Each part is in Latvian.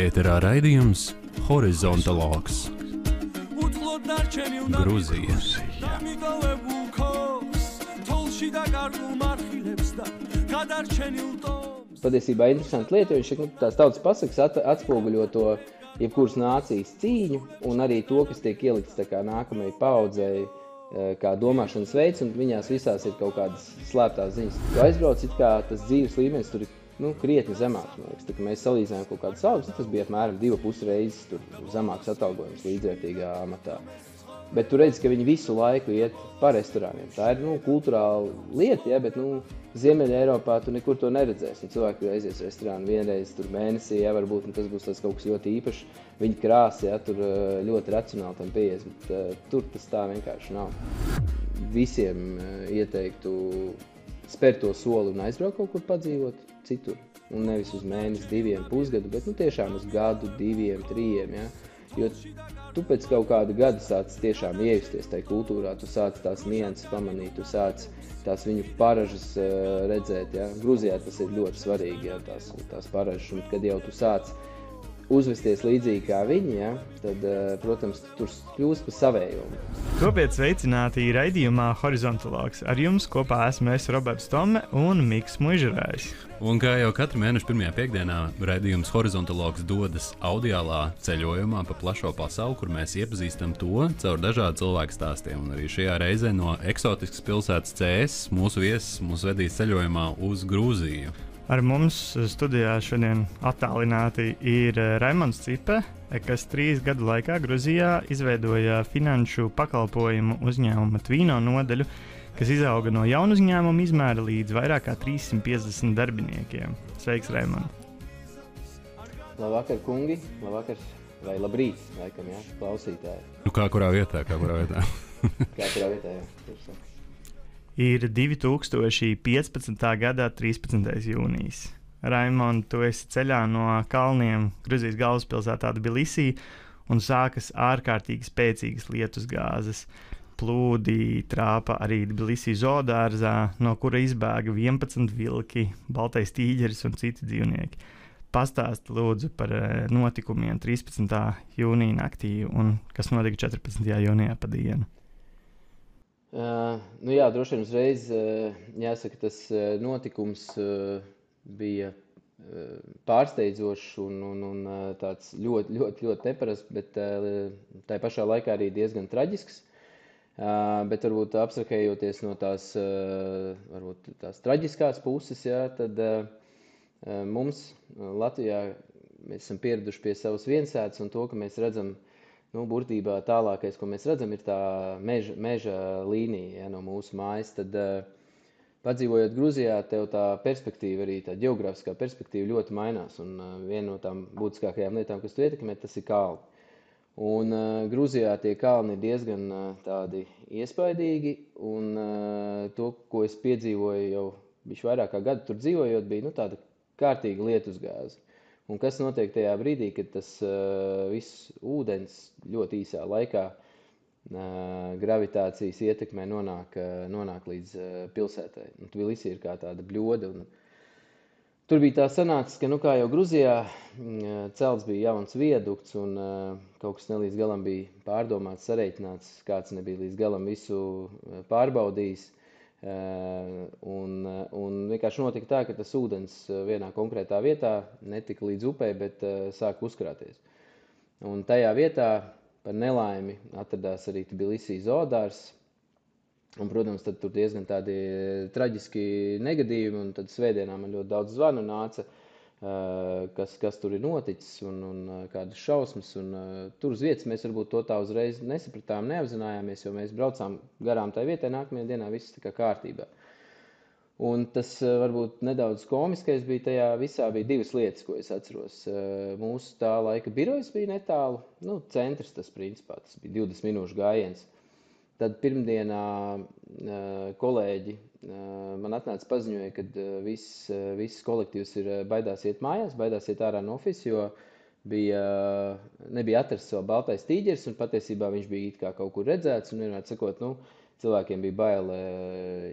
Ēterā raidījums Horizontologs. Grūzija. Patiesībā interesanti lieta, jo tās tautas pasakas atspoguļo to jebkuras nācijas cīņu un arī to, kas tiek ielikts tā kā nākamajai paudzei, kā domāšanas veids, un viņās visās ir kaut kādas slēptās ziņas. Tu aizbrauc, it kā tas dzīves līmenis tur ir krietni zemāks. Tā, ka mēs salīdzinājām kaut kādas algas, tas bija apmēram 2,5 reizes zemāks atalgojums līdzvērtīgā amatā. Bet tu redzi, ka viņi visu laiku iet pa restorāniem. Tā ir kulturāla lieta, ja, bet Ziemeļa Eiropā tu nekur to neredzēsi. Cilvēki aizies restorānu vienreiz tur mēnesī, ja, varbūt tas būs tas kaut kas ļoti īpašs. Viņi krāsa, ja, tur ļoti racionāli tam pieies, bet tur tas tā vienkārši nav. Visiem ieteiktu spērt to soli un aizbraukt kaut kur padzīvot citur. Un nevis uz mēnesi, 2, pusgadu, bet tiešām uz gadu, 2, 3, ja. Jo tu pēc kaut kāda gada sāc tiešām iejusties tajā kultūrā, tu sāc tās nianses pamanīt, tu sāc tās viņu paražas redzēt, ja. Grūzijā tas ir ļoti svarīgi, ja, tās paražas, un kad jau tu sāc uzvesties līdzīgi kā viņi, ja, tad, protams, tur kļūst pa savējom. Topiet sveicināti raidījumā Horizontologs. Ar jums kopā esmu es, Roberts Tome un Miks Muižerājs. Un kā jau katru mēnešu pirmajā piekdienā, raidījums Horizontologs dodas audiālā ceļojumā pa plašo pasauli, kur mēs iepazīstam to caur dažādu cilvēku stāstiem. Un arī šajā reizē no eksotiskas pilsētas CS mūsu viesis mūs vedīs ceļojumā uz Grūziju. Ar mums studijā šodien attālināti ir Raimonds Cipe, kas 3 gadu laikā Grūzijā izveidoja finanšu pakalpojumu uzņēmuma Tvīno nodaļu, kas izauga no jaunu uzņēmumu izmēra līdz vairāk kā 350 darbiniekiem. Sveiks, Raimond! Labvakar, kungi! Labvakar, vai labrīt, laikam, jā, klausītāji. Kā kurā vietā? Kā kurā vietā, jā. Ir 2015. gadā 13. jūnijas. Raimond, tu esi ceļā no kalniem Gruzijas galvaspilsētā Tbilisī un sākas ārkārtīgi spēcīgas lietusgāzes. Plūdi trāpa arī Tbilisī zoodārzā, no kura izbēga 11 vilki, baltais tīģeris un citi dzīvnieki. Pastāsti lūdzu par notikumiem 13. jūnija naktī un kas notika 14. jūnijā pa dienu. Jā, droši vien uzreiz jāsaka, tas notikums bija pārsteidzošs un tāds ļoti neparasts, bet tā pašā laikā arī diezgan traģisks. Bet varbūt abstrahējoties no tās traģiskās puses, jā, tad mums Latvijā mēs esam pieraduši pie savas viensētas un to, ka mēs redzam, burtībā tālākais, ko mēs redzam, ir tā meža līnija, ja, no mūsu mājas. Tad, padzīvojot Grūzijā, tev tā perspektīva, arī tā ģeogrāfiskā perspektīva ļoti mainās. Un viena no tām būtiskākajām lietām, kas tu ietekmē, tas ir kalni. Un Grūzijā tie kalni ir diezgan tādi iespaidīgi. Un to, ko es piedzīvoju jau vairāk kā gadu tur dzīvojot, bija tāda kārtīga lietusgāze. Un kas notiek tajā brīdī, kad tas viss ūdens ļoti īsā laikā gravitācijas ietekmē nonāk līdz pilsētai. Un Tbilisī ir kā tāda bļoda. Un tur bija tā sanāks, ka, kā jau Grūzijā, celts bija jauns viedukts un kaut kas nelīdz galam bija pārdomāts, sareiķināts, kāds nebija līdz galam visu pārbaudījis. Un vienkārši notika tā, ka tas ūdens vienā konkrētā vietā netika līdz upei, bet sāka uzkrāties. Un tajā vietā par nelaimi atradās arī Tbilisī zoodārs. Un, protams, tad tur diezgan tādi traģiski negadījumi, un tad svētdienā man ļoti daudz zvanu nāca, kas tur ir noticis un kādas šausmas. Un tur uz vietas mēs varbūt to tā uzreiz nesapratām, neapzinājāmies, jo mēs braucām garām tai vietai, nākamajā dienā viss tā kā kārtībā. Un tas varbūt nedaudz komiskais bija tajā visā, bija 2 lietas, ko es atceros. Mūsu tā laika birojas bija netālu, centrs tas principā, tas bija 20 minūšu gājiens. Tad pirmdienā kolēģi man atnāca paziņoja, ka viss kolektīvs baidās iet mājās, baidās iet ārā no ofisa, jo nebija atrasts vēl baltais tīģeris, un patiesībā viņš bija it kā kaut kur redzēts, un vienmēr sakot, cilvēkiem bija bail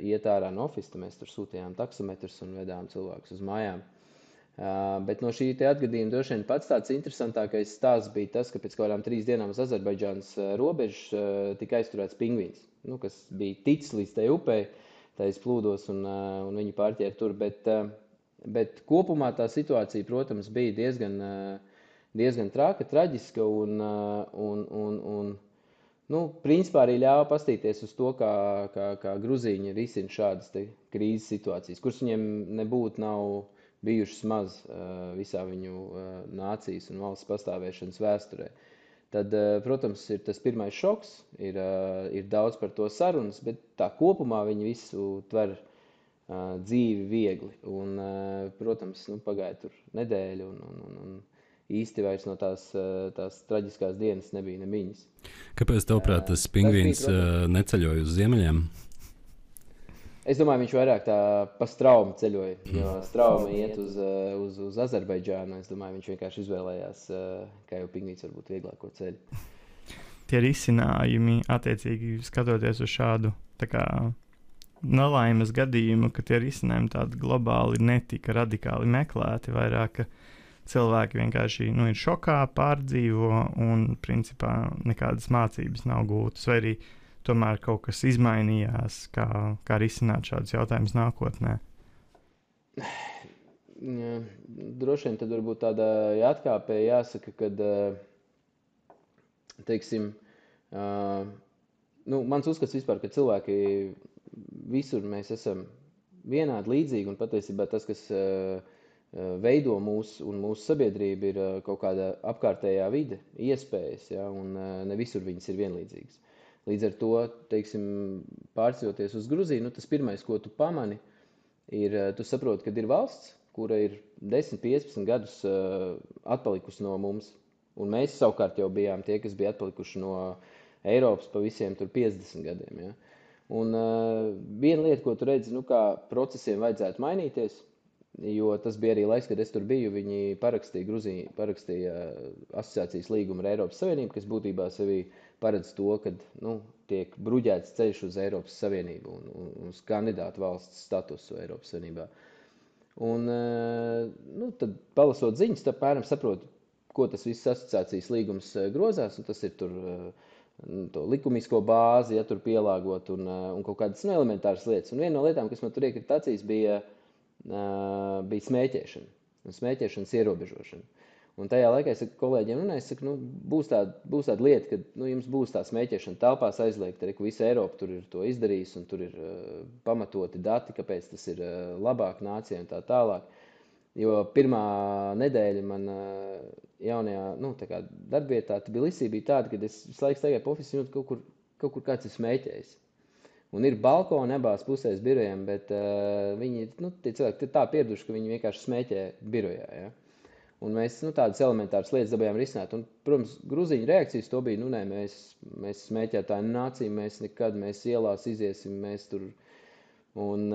iet ārā no ofisa, tad mēs tur sūtījām taksometrus un vedām cilvēkus uz mājām. Bet no šī te atgadījuma droši vien pats tāds interesantākais stāsts bija tas, ka pēc kādām 3 dienām uz Azerbaidžānas robežas tika aizturēts pingvīns, kas bija ticis līdz tai upei, tais plūdos un viņi pārķēra tur. Bet kopumā tā situācija, protams, bija diezgan traka, traģiska un principā arī ļāva pastīties uz to, kā gruzīņi risina šādas te krīzes situācijas, kuras viņiem nav bijušas maz visā viņu nācijas un valsts pastāvēšanas vēsturē. Tad, protams, ir tas pirmais šoks, ir daudz par to sarunas, bet tā kopumā viņi visu tver dzīvi viegli. Un, protams, pagāja tur nedēļa un īsti vairs no tās traģiskās dienas nebija nemiņas. Kāpēc, tavuprāt, tas pingvīns neceļoja uz ziemeļiem? Es domāju, viņš vairāk tā pa straumu ceļoja, jo strauma iet uz Azerbaidžānu. Es domāju, viņš vienkārši izvēlējās, kā jau pingvīns varbūt vieglāko ceļu. Tie risinājumi, attiecīgi skatoties uz šādu tā kā nelaimes gadījumu, ka tie risinājumi tādi globāli netika radikāli meklēti, vairāk cilvēki vienkārši ir šokā, pārdzīvo un principā nekādas mācības nav gūtas, vai arī tomēr kaut kas izmainījās, kā risināt šādus jautājumus nākotnē? Droši vien tad varbūt tādā atkāpē jāsaka, kad, teiksim, mans uzskats vispār, ka cilvēki visur mēs esam vienādi līdzīgi, un patiesībā tas, kas veido mūsu sabiedrību, ir kaut kāda apkārtējā vide, iespējas, un ne visur viņas ir vienlīdzīgas. Līdz ar to, teiksim, pārceļoties uz Gruziju, tas pirmais, ko tu pamani, ir, tu saproti, ka ir valsts, kura ir 10-15 gadus atpalikusi no mums. Un mēs savukārt jau bijām tie, kas bija atpalikuši no Eiropas pa visiem tur 50 gadiem. Ja? Un viena lieta, ko tu redzi, kā procesiem vajadzētu mainīties, jo tas bija arī laiks, kad es tur biju, viņi parakstīja asociācijas līgumu ar Eiropas Savienību, kas būtībā sevī paredz to, ka tiek bruģēts ceļš uz Eiropas Savienību un uz kandidātu valsts statusu Eiropas Savienībā. Un tad palasot ziņas, tad apmēram saprotu, ko tas viss asociācijas līgums grozās, un tas ir tur to likumisko bāzi, ja tur pielāgot un kaut kādas elementāras lietas. Un viena no lietām, kas man tur iekrita acīs, bija smēķēšana un smēķēšanas ierobežošana. Un tajā laikā es saku kolēģiem, būs tāda lieta, ka jums būs tā smēķēšana telpās aizliegta, arī visa Eiropa tur ir to izdarījis, un tur ir pamatoti dati, kāpēc tas ir labāk nācijai un tā tālāk. Jo pirmā nedēļa man jaunajā darbvietā Tbilisī bija tāda, kad es visu laiku staigāju pa ofisu, kaut kur kāds ir smēķējis. Un ir balkoni abās pusēs birojiem, bet viņi, tie cilvēki ir tā pieraduši, ka viņi vienkārši smēķē birojā. Ja? Un mēs tādas elementāras lietas dabējām risināt. Un, protams, gruzīņu reakcijas to bija, mēs smēķētāji nācija, mēs ielās iziesim, mēs tur. Un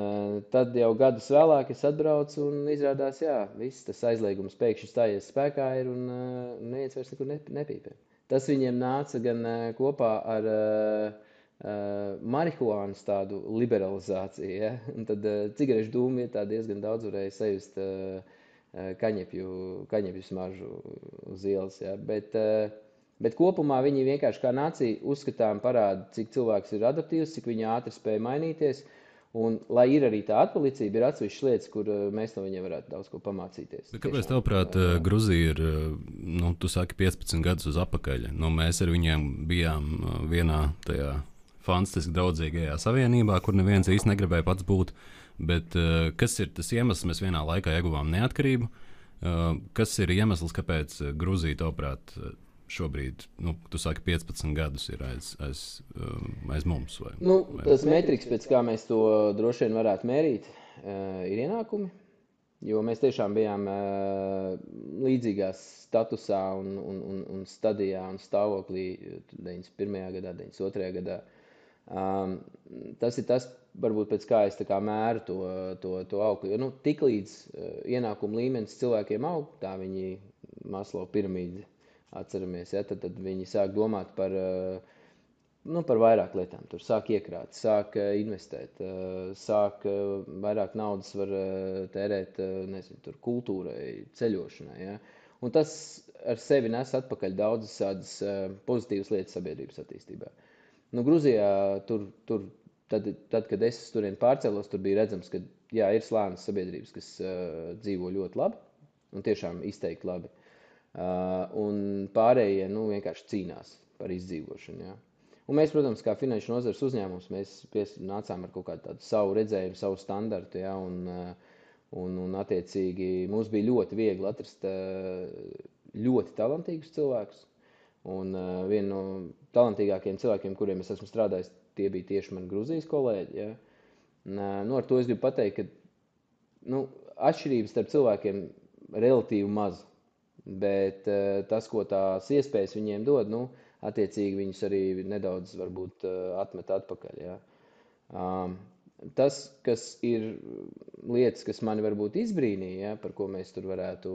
tad jau gadus vēlāk es atbraucu un izrādās, viss tas aizliegums pēkšņi stājies spēkā ir un neviens vairs nekur nepīpē. Tas viņiem nāca gan kopā ar marihuānas tādu liberalizāciju, ja? Un tad cigarešu dūmu vietā diezgan daudz varēja sajust kaņepju smaržu uz ielas, ja? Bet kopumā viņi vienkārši kā nācija uzskatām parāda, cik cilvēks ir adaptīvs, cik viņi ātri spēja mainīties, un lai ir arī tā atpalicība, ir atsevišķas lietas, kur mēs no viņiem varētu daudz ko pamācīties. Bet kāpēc tavuprāt Gruzija ir, tu saki 15 gadus uz apakaļ, mēs ar viņiem bijām vienā tajā fantastiski draudzīgajā savienībā, kur neviens īsti negribēja pats būt, bet kas ir tas iemesls, mēs vienā laikā ieguvām neatkarību, kas ir iemesls, kāpēc Gruzija, tavuprāt, šobrīd, tu saki 15 gadus ir aiz mums? Vai tas metriks, pēc kā mēs to droši vien varētu mērīt, ir ienākumi, jo mēs tiešām bijām līdzīgā statusā un stadijā un stāvoklī 91. gadā, 92. gadā. Tas ir tas, varbūt pēc kā es tā kā mēru to augli. Jo tiklīdz ienākuma līmenis cilvēkiem aug, tā viņi Maslow piramīdi atceramies, ja, tad viņi sāk domāt par par vairāk lietām. Tur sāk iekrāt, sāk investēt, sāk vairāk naudas var tērēt, nezinu, tur kultūrai, ceļošanai, ja. Un tas ar sevi nes atpakaļ daudzas tādas pozitīvas lietas sabiedrības attīstībā. Nu, Gruzijā tad, kad es turien pārcēlos, tur bija redzams, ka jā, ir slānis sabiedrības, kas dzīvo ļoti labi un tiešām izteikti labi. Un pārējie, vienkārši cīnās par izdzīvošanu, jā. Un mēs, protams, kā finanšu nozares uzņēmums, mēs nācām ar kaut kādu tādu savu redzējumu, savu standartu, ja, un attiecīgi mums bija ļoti viegli atrast ļoti talantīgus cilvēkus. Un viena no talantīgākajiem cilvēkiem, kuriem es esmu strādājis, tie bija tieši mani Gruzijas kolēģi. Ja. Ar to es gribu pateikt, ka atšķirības starp cilvēkiem relatīvi maz, bet tas, ko tās iespējas viņiem dod, attiecīgi viņus arī nedaudz varbūt atmet atpakaļ. Ja. Tas, kas ir lietas, kas mani varbūt izbrīnīja, ja, par ko mēs tur varētu,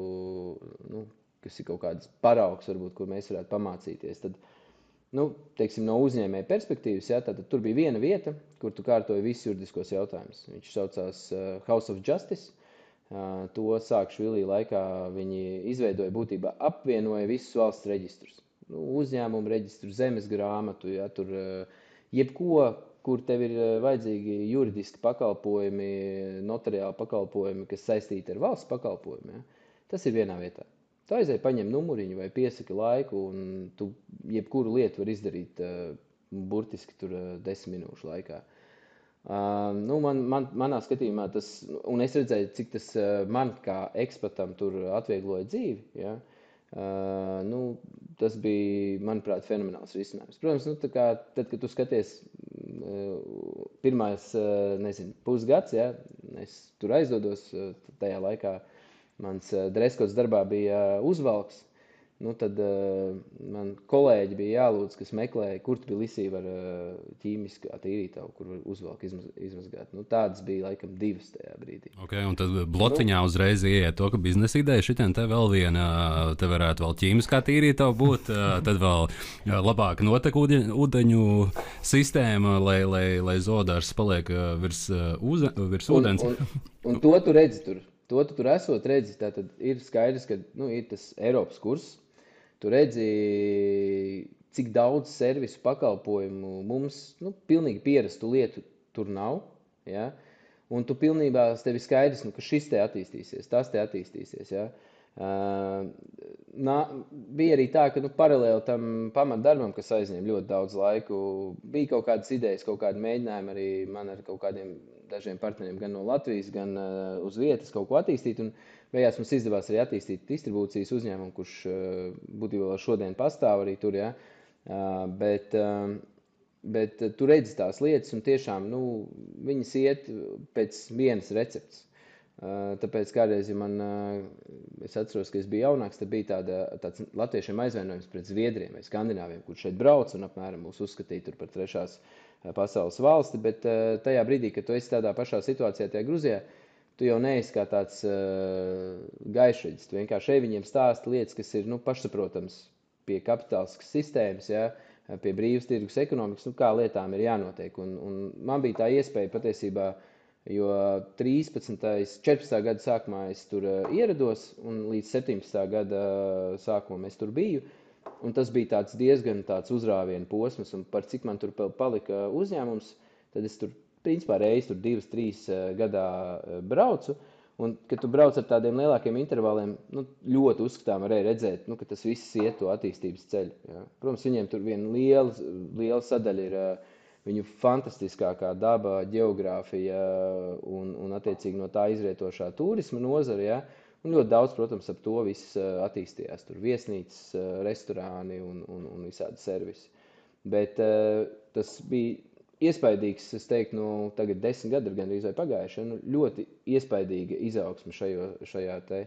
kas ir kaut kāds paraugs, varbūt, kur mēs varētu pamācīties, tad, teiksim, no uzņēmēja perspektīvas, ja, tad tur bija viena vieta, kur tu kārtoji visus juridiskos jautājumus. Viņš saucās House of Justice. To Sāakšvili laikā viņi izveidoja būtībā, apvienoja visus valsts reģistrus. Uzņēmumu reģistru, zemes grāmatu, ja, tur jebko, kur tev ir vajadzīgi juridiski pakalpojumi, notariāli pakalpojumi, kas saistīti ar valsts pakalpojumiem. Ja. Tas ir vienā vietā. Tu aizēji, paņem numuriņu vai piesaki laiku, un tu jebkuru lietu var izdarīt burtiski tur 10 minūšu laikā. Manā skatījumā tas, un es redzēju, cik tas man kā ekspatam tur atviegloja dzīvi, ja. Tas bija, manuprāt, fenomenāls risinājums. Protams, tad, kad tu skaties pirmais, pusgads, ja, es tur aizdodos, tajā laikā mans dreskots darbā bija uzvalks, tad man kolēģi bija jālūdz, kas meklēja, kur Tbilisī var ķīmiskā tīrītavu, kur var uzvalku izmazgāt. Tādas bija laikam 2 tajā brīdī. Okay, un tad blociņā uzreiz ieiet to, ka biznesa ideja šitien te vēl viena, te varētu vēl ķīmiskā tīrītava būt, tad vēl labāk notek ūdeņu sistēma, lai zodārs paliek virs ūdens. Un to tu redzi tur. To tu tur esot redzi, tātad ir skaidrs, ka ir tas Eiropas kurs. Tu redzi, cik daudz servisu pakalpojumu mums, pilnīgi pierastu lietu tur nav, ja? Un tu pilnībā tevi skaidrs, ka šis te attīstīsies, tas te attīstīsies, ja? Bija arī tā, ka paralēli tam pamatdarbam, kas aizņem ļoti daudz laiku, bija kaut kādas idejas, kaut kādi mēģinājumi arī man ar kaut kādiem dažiem partneriem gan no Latvijas, gan uz vietas kaut ko attīstīt, un beigās mums izdevās arī attīstīt distribūcijas uzņēmumu, kurš būtībā vēl šodien pastāv arī tur, ja? Bet tu redzi tās lietas, un tiešām, viņas iet pēc vienas receptes. Tāpēc kādreiz, es atceros, ka es biju jaunāks, tad bija tāds latviešiem aizvainojums pret Zviedriem vai Skandināviem, kur šeit brauc un apmēram mūs uzskatīja tur par 3. pasaules valsti, bet tajā brīdī, kad tu esi tādā pašā situācijā tajā Gruzijā, tu jau neesi kā tāds gaišreģis. Tu vienkārši viņiem stāsti lietas, kas ir pašsaprotams pie kapitāliskas sistēmas, ja, pie brīvas tirgus ekonomikas, kā lietām ir jānotiek. Un man bija tā iespēja patiesībā, jo 14. gada sākumā es tur ierados, un līdz 17. gada sākumam es tur biju. Un tas bija diezgan tāds uzrāvienu posms, un par cik man tur palika uzņēmums, tad es tur, principā, reizi 2-3 gadā braucu. Un, kad tu brauc ar tādiem lielākiem intervaliem, ļoti uzskatām varēja redzēt, ka tas viss iet to attīstības ceļu. Ja. Protams, viņiem tur viena liela sadaļa ir viņu fantastiskākā daba, ģeogrāfija un attiecīgi no tā izrietošā turisma nozara, ja. Un ļoti daudz, protams, ap to viss attīstījās. Tur viesnīcas, restorāni un visādi servisi. Bet tas bija iespaidīgs, es teiktu, tagad 10 gadi ir gandrīz vai pagājuši, ļoti iespaidīga izaugsme šajā te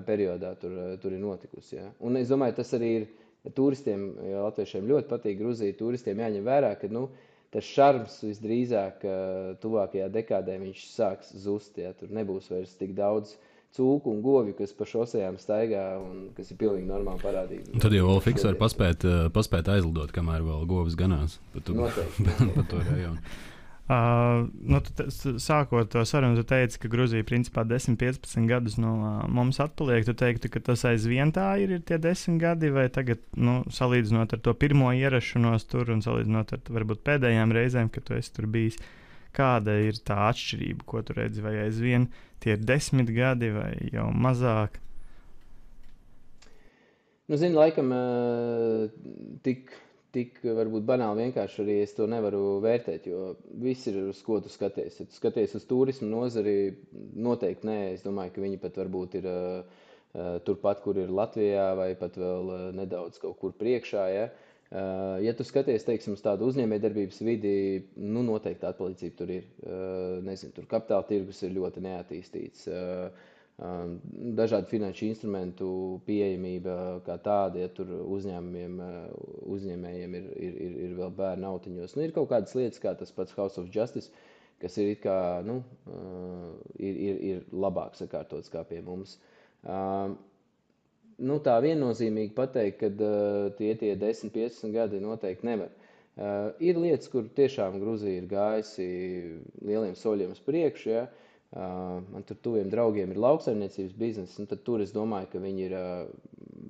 periodā tur ir notikusi. Ja. Un es domāju, tas arī ir turistiem, ja latviešiem ļoti patīk Gruzija, turistiem jāņem vērā, ka tas šarms visdrīzāk tuvākajā dekādē viņš sāks zust. Ja. Tur nebūs vairs tik daudz cūku un govju, kas pa šosejām staigā un kas ir pilnīgi normāla parādība. Un tad jau vēl fiks var paspēt aizlidot, kamēr vēl govs ganās pa to rajonu. Sākot to sarunu, tu teici, ka Gruzija principā 10-15 gadus no mums atpaliek. Tu teiktu, ka tas aizvien tā ir tie 10 gadi, vai tagad, salīdzinot ar to pirmo ierašanos tur un salīdzinot ar varbūt pēdējām reizēm, kad tu esi tur bijis, kāda ir tā atšķirība, ko tu redzi, vai aizvien tie ir 10 gadi vai jau mazāk? Zini, laikam tik varbūt banāli vienkārši arī es to nevaru vērtēt, jo viss ir uz ko tu skaties. Ja tu skaties uz turismu nozari, noteikti nē. Es domāju, ka viņi pat varbūt ir turpat, kur ir Latvijā, vai pat vēl nedaudz kaut kur priekšā. Ja, ja tu skaties, teiksim, uz tādu uzņēmējdarbības vidi, noteikti atpalicība tur ir. Nezinu, tur kapitāla tirgus ir ļoti neattīstīts. Dažādu finanšu instrumentu pieejamība kā tāda, ja tur uzņēmējiem ir vēl bērnu autiņos. Ir kaut kādas lietas, kā tas pats House of Justice, kas ir it kā, ir labāk sakārtots kā pie mums. Tā viennozīmīgi pateikt, ka tie 10-15 gadi noteikti nevar. Ir lietas, kur tiešām Gruzija ir gājusi lieliem soļiem uz priekšu, ja. Man tur tuviem draugiem ir lauksaimniecības bizness, un tad tur es domāju, ka viņi ir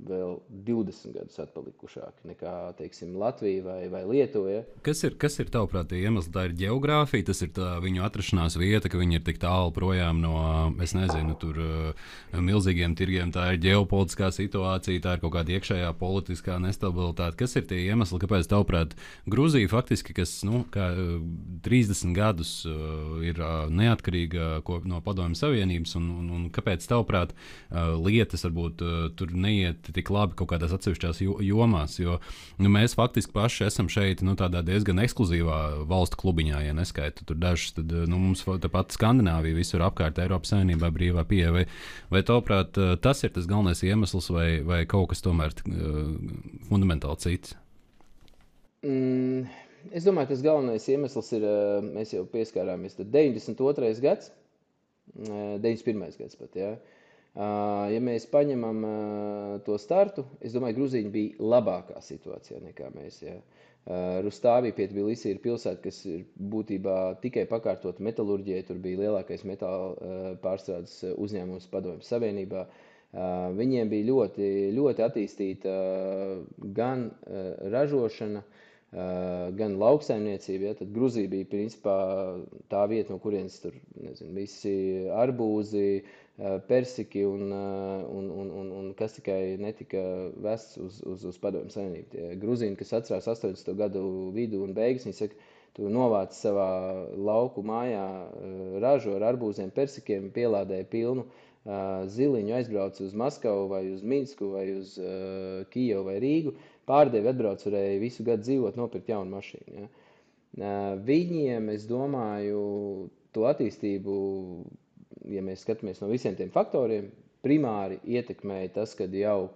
vēl 20 gadus atpalikušāki nekā, teiksim, Latvija vai Lietuva. Ja? Kas ir tavuprāt tie iemesli? Tā ir ģeogrāfija, tas ir tā viņu atrašanās vieta, ka viņi ir tik tālu projām no, es nezinu, tur milzīgiem tirgiem, tā ir ģeopolitiskā situācija, tā ir kaut kāda iekšējā politiskā nestabilitāte. Kas ir tie iemesli, kāpēc tavuprāt Gruzija faktiski, kas, kā 30 gadus ir neatkarīga no Padomju Savienības, un kāpēc tavuprāt lietas varbūt tur neiet tik labi kaut kādās atsevišķās jomās, jo mēs faktiski paši esam šeit tādā diezgan ekskluzīvā valstu klubiņā, ja neskaitu tur dažus, tad mums tāpat Skandināvija visur apkārt Eiropas Savienībā brīvā pieeja, vai tavuprāt tas ir tas galvenais iemesls, vai kaut kas tomēr fundamentāli cits? Es domāju, tas galvenais iemesls ir, mēs jau pieskārāmies, tad 92. gads, 91. gads pat, ja. Ja mēs paņemam to startu, es domāju, Gruzija bija labākā situācijā nekā mēs, ja. Rustāvī pie Tbilisi ir pilsēta, kas ir būtībā tikai pakārtot metalurģijai, tur bija lielākais metāla pārstrādes uzņēmums Padomju Savienībā. Viņiem bija ļoti, ļoti attīstīta gan ražošana, gan lauksaimniecība, ja, tad Gruzija bija principā tā vieta, no kurienes tur, nezinu, visi arbūzi, persiki un kas tikai netika vests uz Padomju Savienību. Gruzīni, kas atcerās 80. gadu vidu un beigas, viņi saka, tu novāc savā lauku mājā ražu ar arbūziem, persikiem, pielādēja pilnu ziliņu, aizbrauc uz Maskavu vai uz Minsku vai uz Kijevu vai Rīgu, pārdevi atbrauc, varēja visu gadu dzīvot, nopirkt jaunu mašīnu. Ja. Viņiem, es domāju, to attīstību, ja mēs skatāmies no visiem tiem faktoriem, primāri ietekmēja tas, kad jau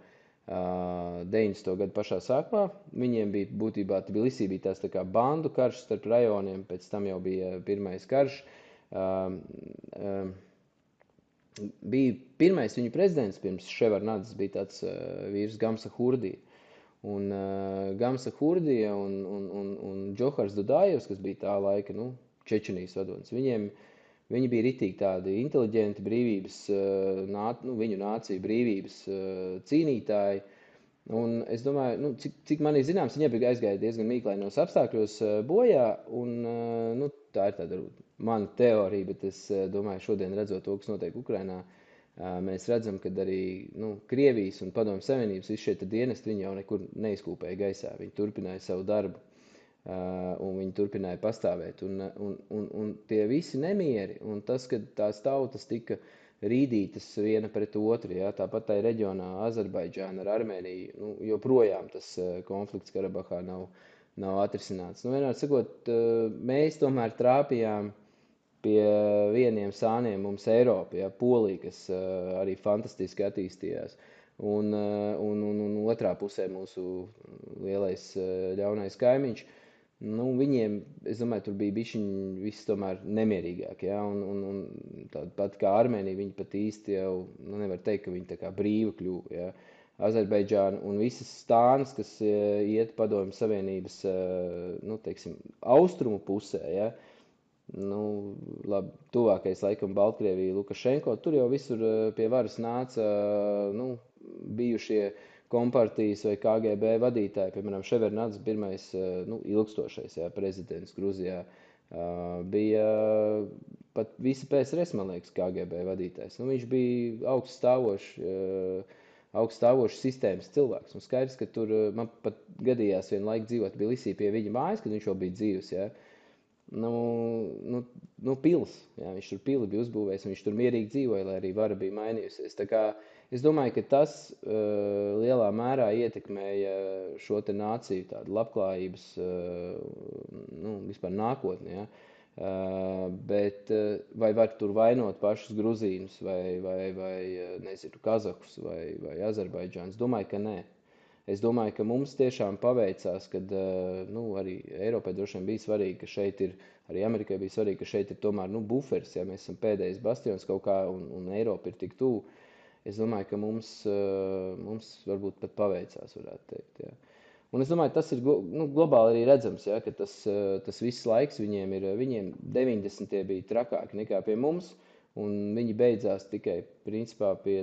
90. gadu pašā sākumā viņiem bija būtībā Tbilisī bija tās tā kā bandu karš starp rajoniem, pēc tam jau bija pirmais karš. Bija pirmais viņu prezidents pirms Ševarnadas, bija tāds vīrs Gamsa Hurdija. Un Gamsa Hurdija un Džohars Dudājevs, kas bija tā laika, Čečenijas vadonis, viņi bija ritīgi tādi inteliģenti brīvības, viņu nāciju brīvības cīnītāji. Un es domāju, cik man ir zināms, viņi bija aizgāja diezgan mīklainos apstākļos bojā, un tā ir tāda mana teorija, bet es domāju, šodien redzot to, kas notiek Ukrainā, mēs redzam, ka arī Krievijas un Padomju Savienības visi šie dienesti viņi jau nekur neizkūpēja gaisā. Viņi turpināja savu darbu un viņi turpināja pastāvēt. Un tie visi nemieri un tas, ka tās tautas tika rīdītas viena pret otru, ja, tāpat tā reģionā Azerbaidžāna ar Armēniju, joprojām tas konflikts Karabahā nav atrisināts. Vienmēr sakot, mēs tomēr trāpījām pie vieniem sāniem mums Eiropa, ja, Polija, kas arī fantastiski attīstījās. Un otrā pusē mūsu lielais ļaunais kaimiņš. Viņiem, es domāju, tur bija bišķiņi viss tomēr nemierīgāk, ja? Un tāda pat kā Armēnija, viņi pat īsti jau, nevar teikt, ka viņi tā kā brīvi kļuva, ja? Azerbaidžāna un visas stānas, kas iet Padomju Savienības, teiksim, austrumu pusē, ja? Labi, tuvākais laikam Baltkrievija, Lukašenko, tur jau visur pie varas nāca, bijušie kompartijas vai KGB vadītāji, piemēram, Ševernadze, pirmais ilgstošais prezidents Gruzijā, bija pat visa PSRS, man liekas, KGB vadītājs. Viņš bija augststāvošs sistēmas cilvēks. Un skaidrs, ka tur man pat gadījās vienu laiku dzīvot Tbilisī pie viņa mājas, kad viņš jau bija dzīvs. Ja? Pils. Ja? Viņš tur pili bija uzbūvējis, un viņš tur mierīgi dzīvoja, lai arī vara bija mainījusies. Tā kā es domāju, ka tas lielā mērā ietekmēja šo te nāciju tādu labklājības, vispār nākotni, ja? Bet vai var tur vainot pašus gruzīnus vai nezinu, kazahus vai Azerbaidžānus? Domāju, ka nē. Es domāju, ka mums tiešām paveicās, kad arī Eiropai droši vien bija svarīgi, ka šeit ir, arī Amerikai bija svarīgi, ka šeit ir tomēr buferis, ja mēs esam pēdējais bastions kaut kā un Eiropa ir tik tuvu. Es domāju, ka mums varbūt pat paveicās, varētu teikt. Ja. Un es domāju, tas ir globāli arī redzams, ja, ka tas viss laiks viņiem 90. bija trakāki nekā pie mums, un viņi beidzās tikai principā pie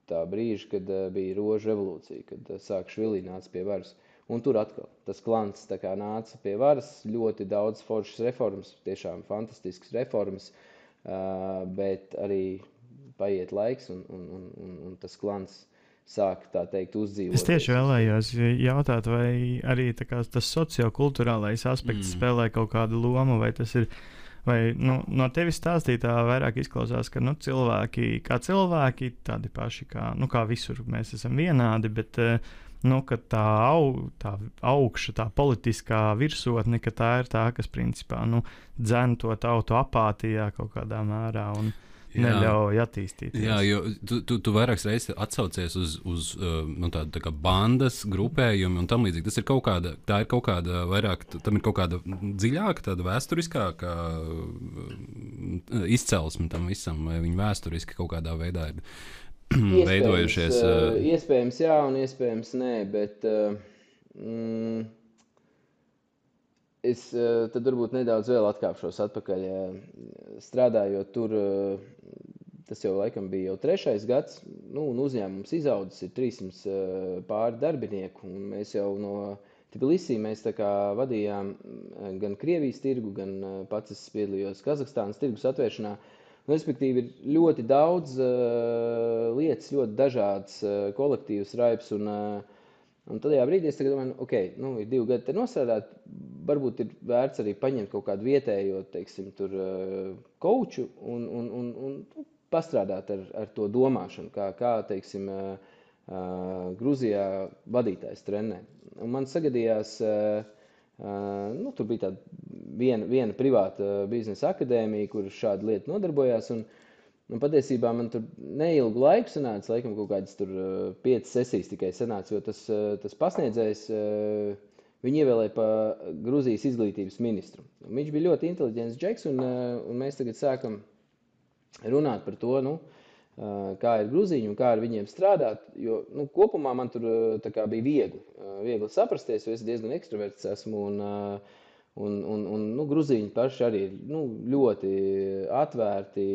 tā brīža, kad bija Rožu revolūcija, kad Sāakšvili nāca pie varas. Un tur atkal tas klants tā kā nāca pie varas, ļoti daudz foršas reformas, tiešām fantastiskas reformas, bet arī paiet laiks un tas klants sāk, tā teikt, uzdzīvot. Es tieši vēlējos jautāt, vai arī tas sociokulturālais aspekts spēlē kaut kādu lomu, vai tas ir, vai no tevis stāstītā vairāk izklausās, ka cilvēki, kā cilvēki, tādi paši kā visur mēs esam vienādi, bet ka tā augša, tā politiskā virsotne, ka tā ir tā, kas principā dzen to tautu apātijā kaut kādā mērā un neļauj attīstīties. Jā, jo tu vairākas reizes atsaucies uz tādu tā kā bandas grupējumu un tam līdzīgi. Tas ir kaut kāda vairāk, tam ir kaut kāda dziļāka, tāda vēsturiskāka izcelsme tam visam, vai viņi vēsturiski kaut kādā veidā ir veidojušies. Iespējams jā un iespējams nē, bet es tad varbūt nedaudz vēl atkāpšos atpakaļ. Strādājot tur, tas jau laikam bija jau 3. gads, un uzņēmums izaudzis ir 300 pāri darbinieku, un mēs jau no Tbilisī mēs tā kā vadījām gan Krievijas tirgu, gan pats es piedalījos Kazahstānas tirgus atvēršanā. Respektīvi ir ļoti daudz lietas, ļoti dažāds kolektīvs raips, un tajā brīdī es domāju, ir 2 gadi te nostrādāt, varbūt ir vērts arī paņemt kaut kādu vietējo, teiksim, tur kouču un pastrādāt ar to domāšanu, kā teiksim, Gruzijā vadītājs trenē. Un man sagadījās, tur bija tāda viena privāta biznesa akadēmija, kur šāda lieta nodarbojās, un patiesībā man tur neilgu laiku sanāca, laikam kaut kādas tur 5 sesijas tikai sanāca, jo tas pasniedzējs, viņu ievēlēja pa Gruzijas izglītības ministru. Viņš bija ļoti inteliģents džeks, un mēs tagad sākam runāt par to, kā ir gruzīņi un kā ar viņiem strādāt, jo kopumā man tur tā kā bija viegli saprasties, jo es diezgan ekstraverts esmu, un gruzīņi paši arī ir ļoti atvērti,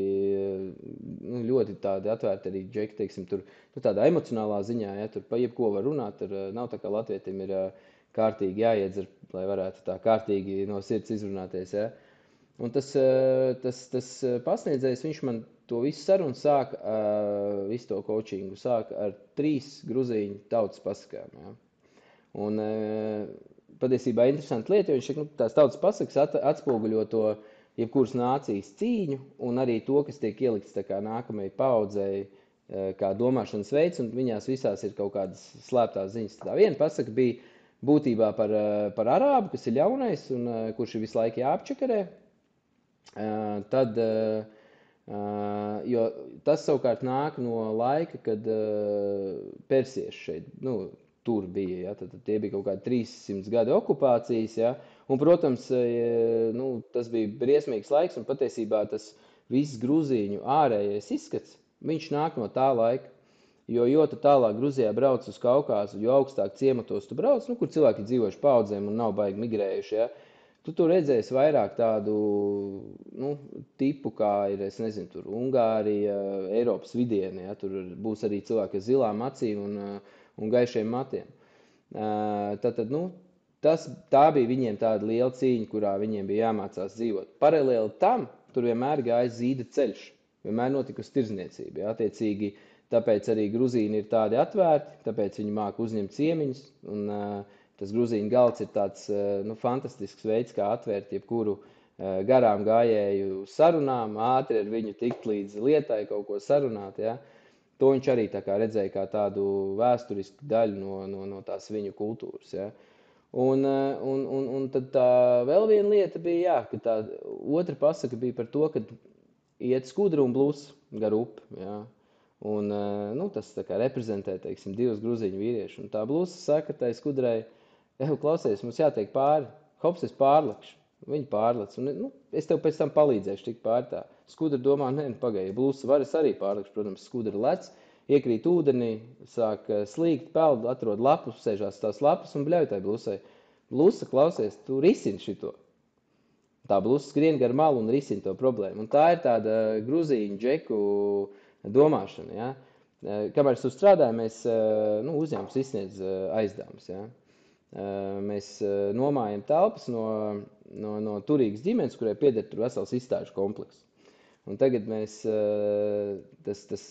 ļoti tādi atvērti arī džeki, teiksim, tur tādā emocionālā ziņā, ja, tur pa jebko var runāt, nav tā kā latvietim ir kārtīgi jāiedzer, lai varētu tā kārtīgi no sirds izrunāties, ja. Un tas pasniedzējs, viņš man to visu sarunu sāk, visu to coachingu sāk ar 3 gruzīņu tautas pasakām, ja. Un patiesībā interesanti lieta, jo viņš saka, tās tautas pasakas atspoguļo to jebkuras nācijas cīņu un arī to, kas tiek ielikts tā kā nākamajai paudzei, kā domāšanas veids, un viņās visās ir kaut kādas slēptās ziņas. Tā viena pasaka bija būtībā par arābu, kas ir ļaunais un kurš ir visu laiku jāapčakarē. Tad, jo tas savukārt nāk no laika, kad persieši šeit, tur bija. Ja? Tad tie bija kaut kādi 300 gadi okupācijas. Ja? Un, protams, tas bija briesmīgs laiks, un patiesībā tas viss grūzīņu ārējais izskats, viņš nāk no tā laika. Jo tu tālāk Gruzijā brauc uz Kaukāzu, jo augstāk ciematos tu brauc, kur cilvēki dzīvojuši paudzēm un nav baigi migrējuši, ja? Tu tur redzēsi vairāk tādu tipu, kā ir, es nezinu, tur Ungārija, Eiropas vidieni, ja? Tur būs arī cilvēki ar zilām acīm un gaišiem matiem. Tā bija viņiem tāda liela cīņa, kurā viņiem bija jāmācās dzīvot. Paralēli tam, tur vienmēr gāja zīda ceļš, vienmēr notikusi tirzniecība, ja? Attiecīgi, tāpēc arī gruzīni ir tādi atvērti, tāpēc viņi māca uzņemt ciemiņus. Un tas gruzīņu galds ir tāds fantastisks veids, kā atvērt jebkuru garām gājēju sarunām, ātri ar viņu tikt līdz lietai, kaut ko sarunāt. Ja? To viņš arī tā kā redzēja kā tādu vēsturisku daļu no tās viņu kultūras. Ja? Un tad tā vēl viena lieta bija, ka tā otra pasaka bija par to, ka iet skudra un blūs gar upi. Ja? Un tas tā kā reprezentē, teiksim, divus gruzīņu vīriešu. Un tā blūsa saka tai skudrai, klausies, mums jātiek pāri, hops, es pārlekšu. Viņi pārlec. Un, es tev pēc tam palīdzēšu tikt pāri tā. Skudra domā, pagaidi, blūsa var, es arī pārlekšu. Protams, skudra lec, iekrīt ūdenī, sāk slīgt, peld, atrod lapus, sēžās tās lapas un bļauj tai blūsai. Blūsa, klausies, tu risini šito. Tā blūsa skrien gar malu un risina to problēmu. Un tā ir tāda gruzīņu džeku domāšana. Ja? Kamēr es tur strādāju, mēs uzņēmums izsniedz aizdevums. Ja? Mēs nomājam telpas no turīgas ģimenes, kurai pieder tur vesels izstāžu komplekss. Un tagad mēs, tas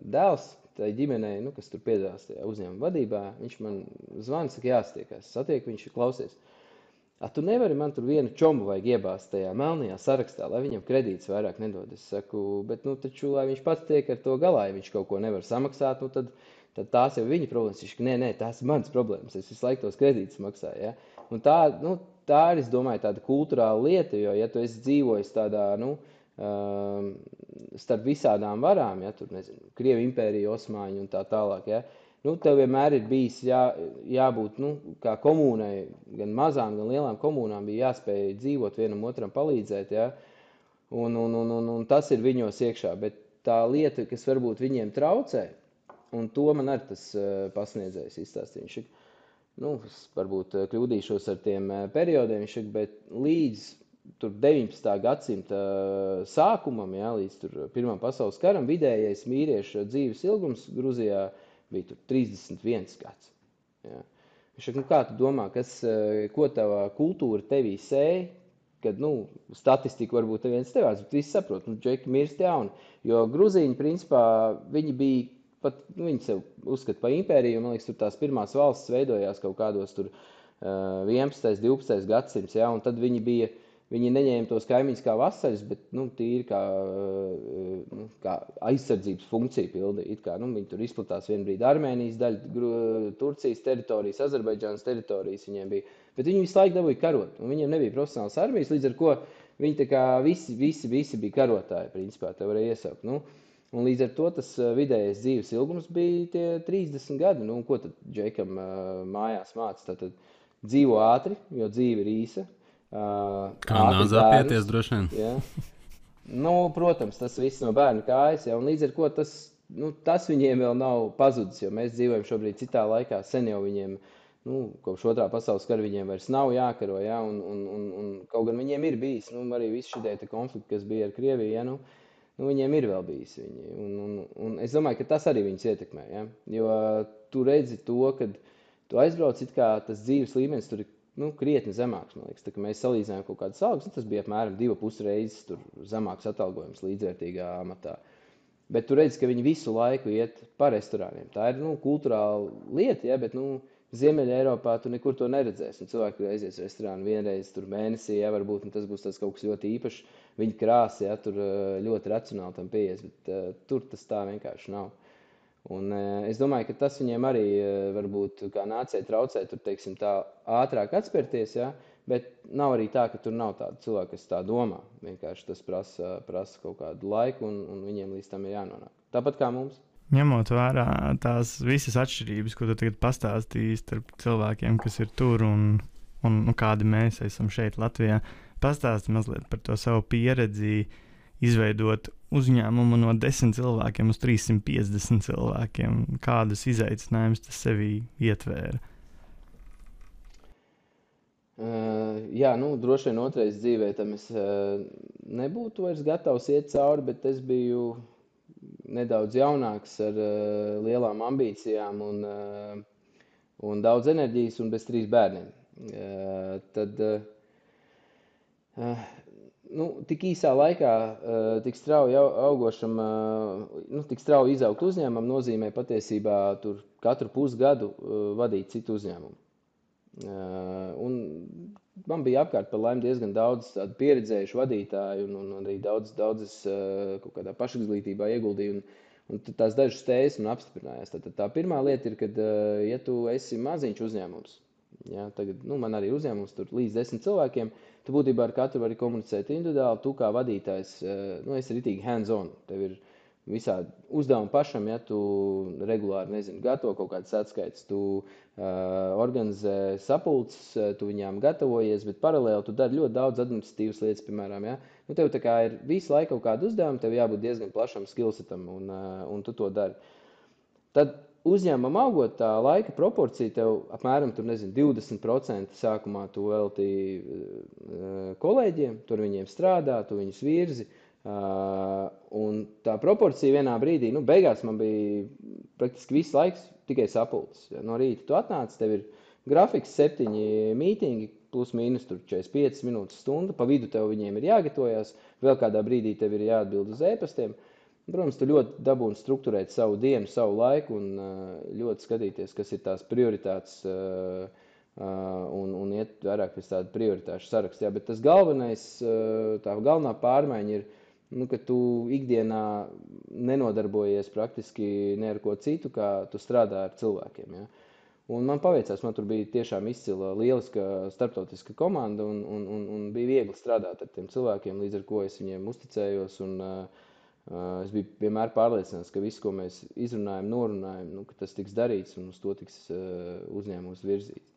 dēls tai ģimenei, kas tur piedalās tajā uzņēmuma vadībā, viņš man zvana, saka, jāstiekās. Satieku, viņš klausies. Tu nevari, man tur vienu čomu vajag iebāzt tajā melnajā sarakstā, lai viņam kredīts vairāk nedod. Es saku, bet taču, lai viņš pats tiek ar to galā, ja viņš kaut ko nevar samaksāt, tad tās jau viņa problēmas. Viņš, nē, tās ir manas problēmas, es visu laiku tos kredītus maksāju. Ja? Un tā ir, es domāju, tāda kulturāla lieta, jo, ja tu esi dzīvojis tādā, starp visādām varām, ja, tur, nezinu, Krievu impērija, Osmaņu un tā tālāk, ja, tev vienmēr ir bijis jābūt, kā komunai, gan mazām, gan lielām komunām bija jāspēj dzīvot vienam otram palīdzēt, ja, un tas ir viņos iekšā, bet tā lieta, kas varbūt viņiem traucē, un to man arī tas pasniedzējs izstāstīja, es varbūt kļūdīšos ar tiem periodiem, bet līdz tur 19. gadsimta sākumam, ja, līdz tur Pirmam pasaules karam, vidējais vīrieša dzīves ilgums Gruzijā bija tur 31 gads. Ja. Viņš saka, kā tu domā, ko tava kultūra tevī sēja, kad, statistika varbūt neviens tevās, bet visi saprot, džeki mirst jauni. Jo gruzīņi, principā, viņi bija, pat viņi sev uzskata par impēriju, man liekas, tur tās pirmās valsts veidojās kaut kādos tur 11. 12. gadsimts, ja, un tad viņi neņēma tos kaimiņus kā vasaļus, bet tīri kā aizsardzības funkciju pildīja. Viņi tur izplatās vienu brīdi Armēnijas daļa, Turcijas teritorijas, Azerbaidžānas teritorijas viņiem bija. Bet viņi visu laiku dabūja karot, un viņiem nebija profesionāls armijas, līdz ar ko viņi tā kā visi bija karotāji, principā, te varēja iesaukt. Un līdz ar to tas vidējais dzīves ilgums bija tie 30 gadi. Ko tad džekam mājās māca? Tātad dzīvo ātri, jo dzīve ir īsa. Kā nāzāpieties droši vien? Ja. Protams, tas viss no bērnu kājas, ja, un līdz ar ko tas viņiem vēl nav pazudis, jo mēs dzīvojam šobrīd citā laikā, sen jau viņiem, kopš Otrā pasaules kara viņiem vairs nav jākaro, ja, un kaut gan viņiem ir bijis, arī visi šitie konflikti, kas bija ar Krieviju, ja, viņiem ir vēl bijis viņi, un es domāju, ka tas arī viņus ietekmē, ja, jo tu redzi to, kad tu aizbrauc, it kā tas dzīves līmenis tur ir krietni zemāks, man liekas. Tā, ka mēs salīdzinājām kaut kādas algas, tas bija apmēram 2,5 reizes tur zemāks atalgojums līdzvērtīgā amatā. Bet tu redzi, ka viņi visu laiku iet pa restorāniem. Tā ir kulturāla lieta, ja, bet Ziemeļa Eiropā tu nekur to neredzēsi. Un cilvēki aizies restorānu vienreiz tur mēnesī, ja, varbūt, un tas būs tas kaut kas ļoti īpašs. Viņi krāsi, ja, tur ļoti racionāli tam pieies, bet tur tas tā vienkārši nav. Un es domāju, ka tas viņiem arī varbūt kā nācijai traucē tur, teiksim, tā ātrāk atspērties, ja? Bet nav arī tā, ka tur nav tāda cilvēka, kas tā domā. Vienkārši tas prasa kaut kādu laiku un viņiem līdz tam ir jānonāk. Tāpat kā mums. Ņemot vērā tās visas atšķirības, ko tu tagad pastāstīji starp cilvēkiem, kas ir tur un kādi mēs esam šeit Latvijā, pastāsti mazliet par to savu pieredzi, izveidot uzņēmumu no 10 cilvēkiem uz 350 cilvēkiem. Kādus izaicinājumus tas sevī ietvēra? Jā, droši vien otrais dzīvē tam es nebūtu vairs gatavs iet cauri, bet es biju nedaudz jaunāks ar lielām ambīcijām un daudz enerģijas un bez 3 bērniem. Tad tik īsā laikā tik strauji augošam, tik strauji izaugt uzņēmumam nozīmē patiesībā tur katru pusgadu vadīt citu uzņēmumu. Un man bija apkārt par laimi diezgan daudz tādu pieredzējušu vadītāju un arī daudzas kaut kādā pašizglītībā ieguldīju, un tās dažas tēzes man apstiprinājās. Tad tā pirmā lieta ir, kad, ja tu esi maziņš uzņēmums, ja, tagad, man arī ir uzņēmums tur līdz 10 cilvēkiem, tu būtībā ar katru vari komunicēt individuāli, tu kā vadītājs, esi ritīgi hands-on, tev ir visādi uzdevumi pašam, ja tu regulāri, gatavo kaut kādas atskaites, tu organizē sapulces, tu viņām gatavojies, bet paralēli tu dari ļoti daudz administratīvas lietas, piemēram, ja. Tev tā kā ir visu laiku kaut kādu uzdevumu, tev jābūt diezgan plašam skillsetam, un tu to dari. Tad uzņēmumam augot, tā laika proporcija tev apmēram 20% sākumā tu velti kolēģiem, tur viņiem strādā, tu viņus virzi. Un tā proporcija vienā brīdī, beigās man bija praktiski viss laiks tikai sapulces. No rīta tu atnāc, tev ir grafiks 7 mītingi, plus mīnus 45 minūtes stunda, pa vidu tev viņiem ir jāgatavojās, vēl kādā brīdī tev ir jāatbild uz e-pastiem. Protams, tu ļoti dabūni strukturēt savu dienu, savu laiku un ļoti skatīties, kas ir tās prioritātes un iet vairāk pēc tāda prioritāšu saraksta. Jā, bet tas galvenais, tā galvenā pārmaiņa ir, ka tu ikdienā nenodarbojies praktiski ne ar ko citu, kā tu strādā ar cilvēkiem. Ja? Un man paveicās, man tur bija tiešām izcila, lieliska starptautiska komanda un bija viegli strādāt ar tiem cilvēkiem, līdz ar ko es viņiem uzticējos. Es biju vienmēr pārliecināts, ka viss, ko mēs izrunājam, norunājam, ka tas tiks darīts un uz to tiks uzņēmums virzīts.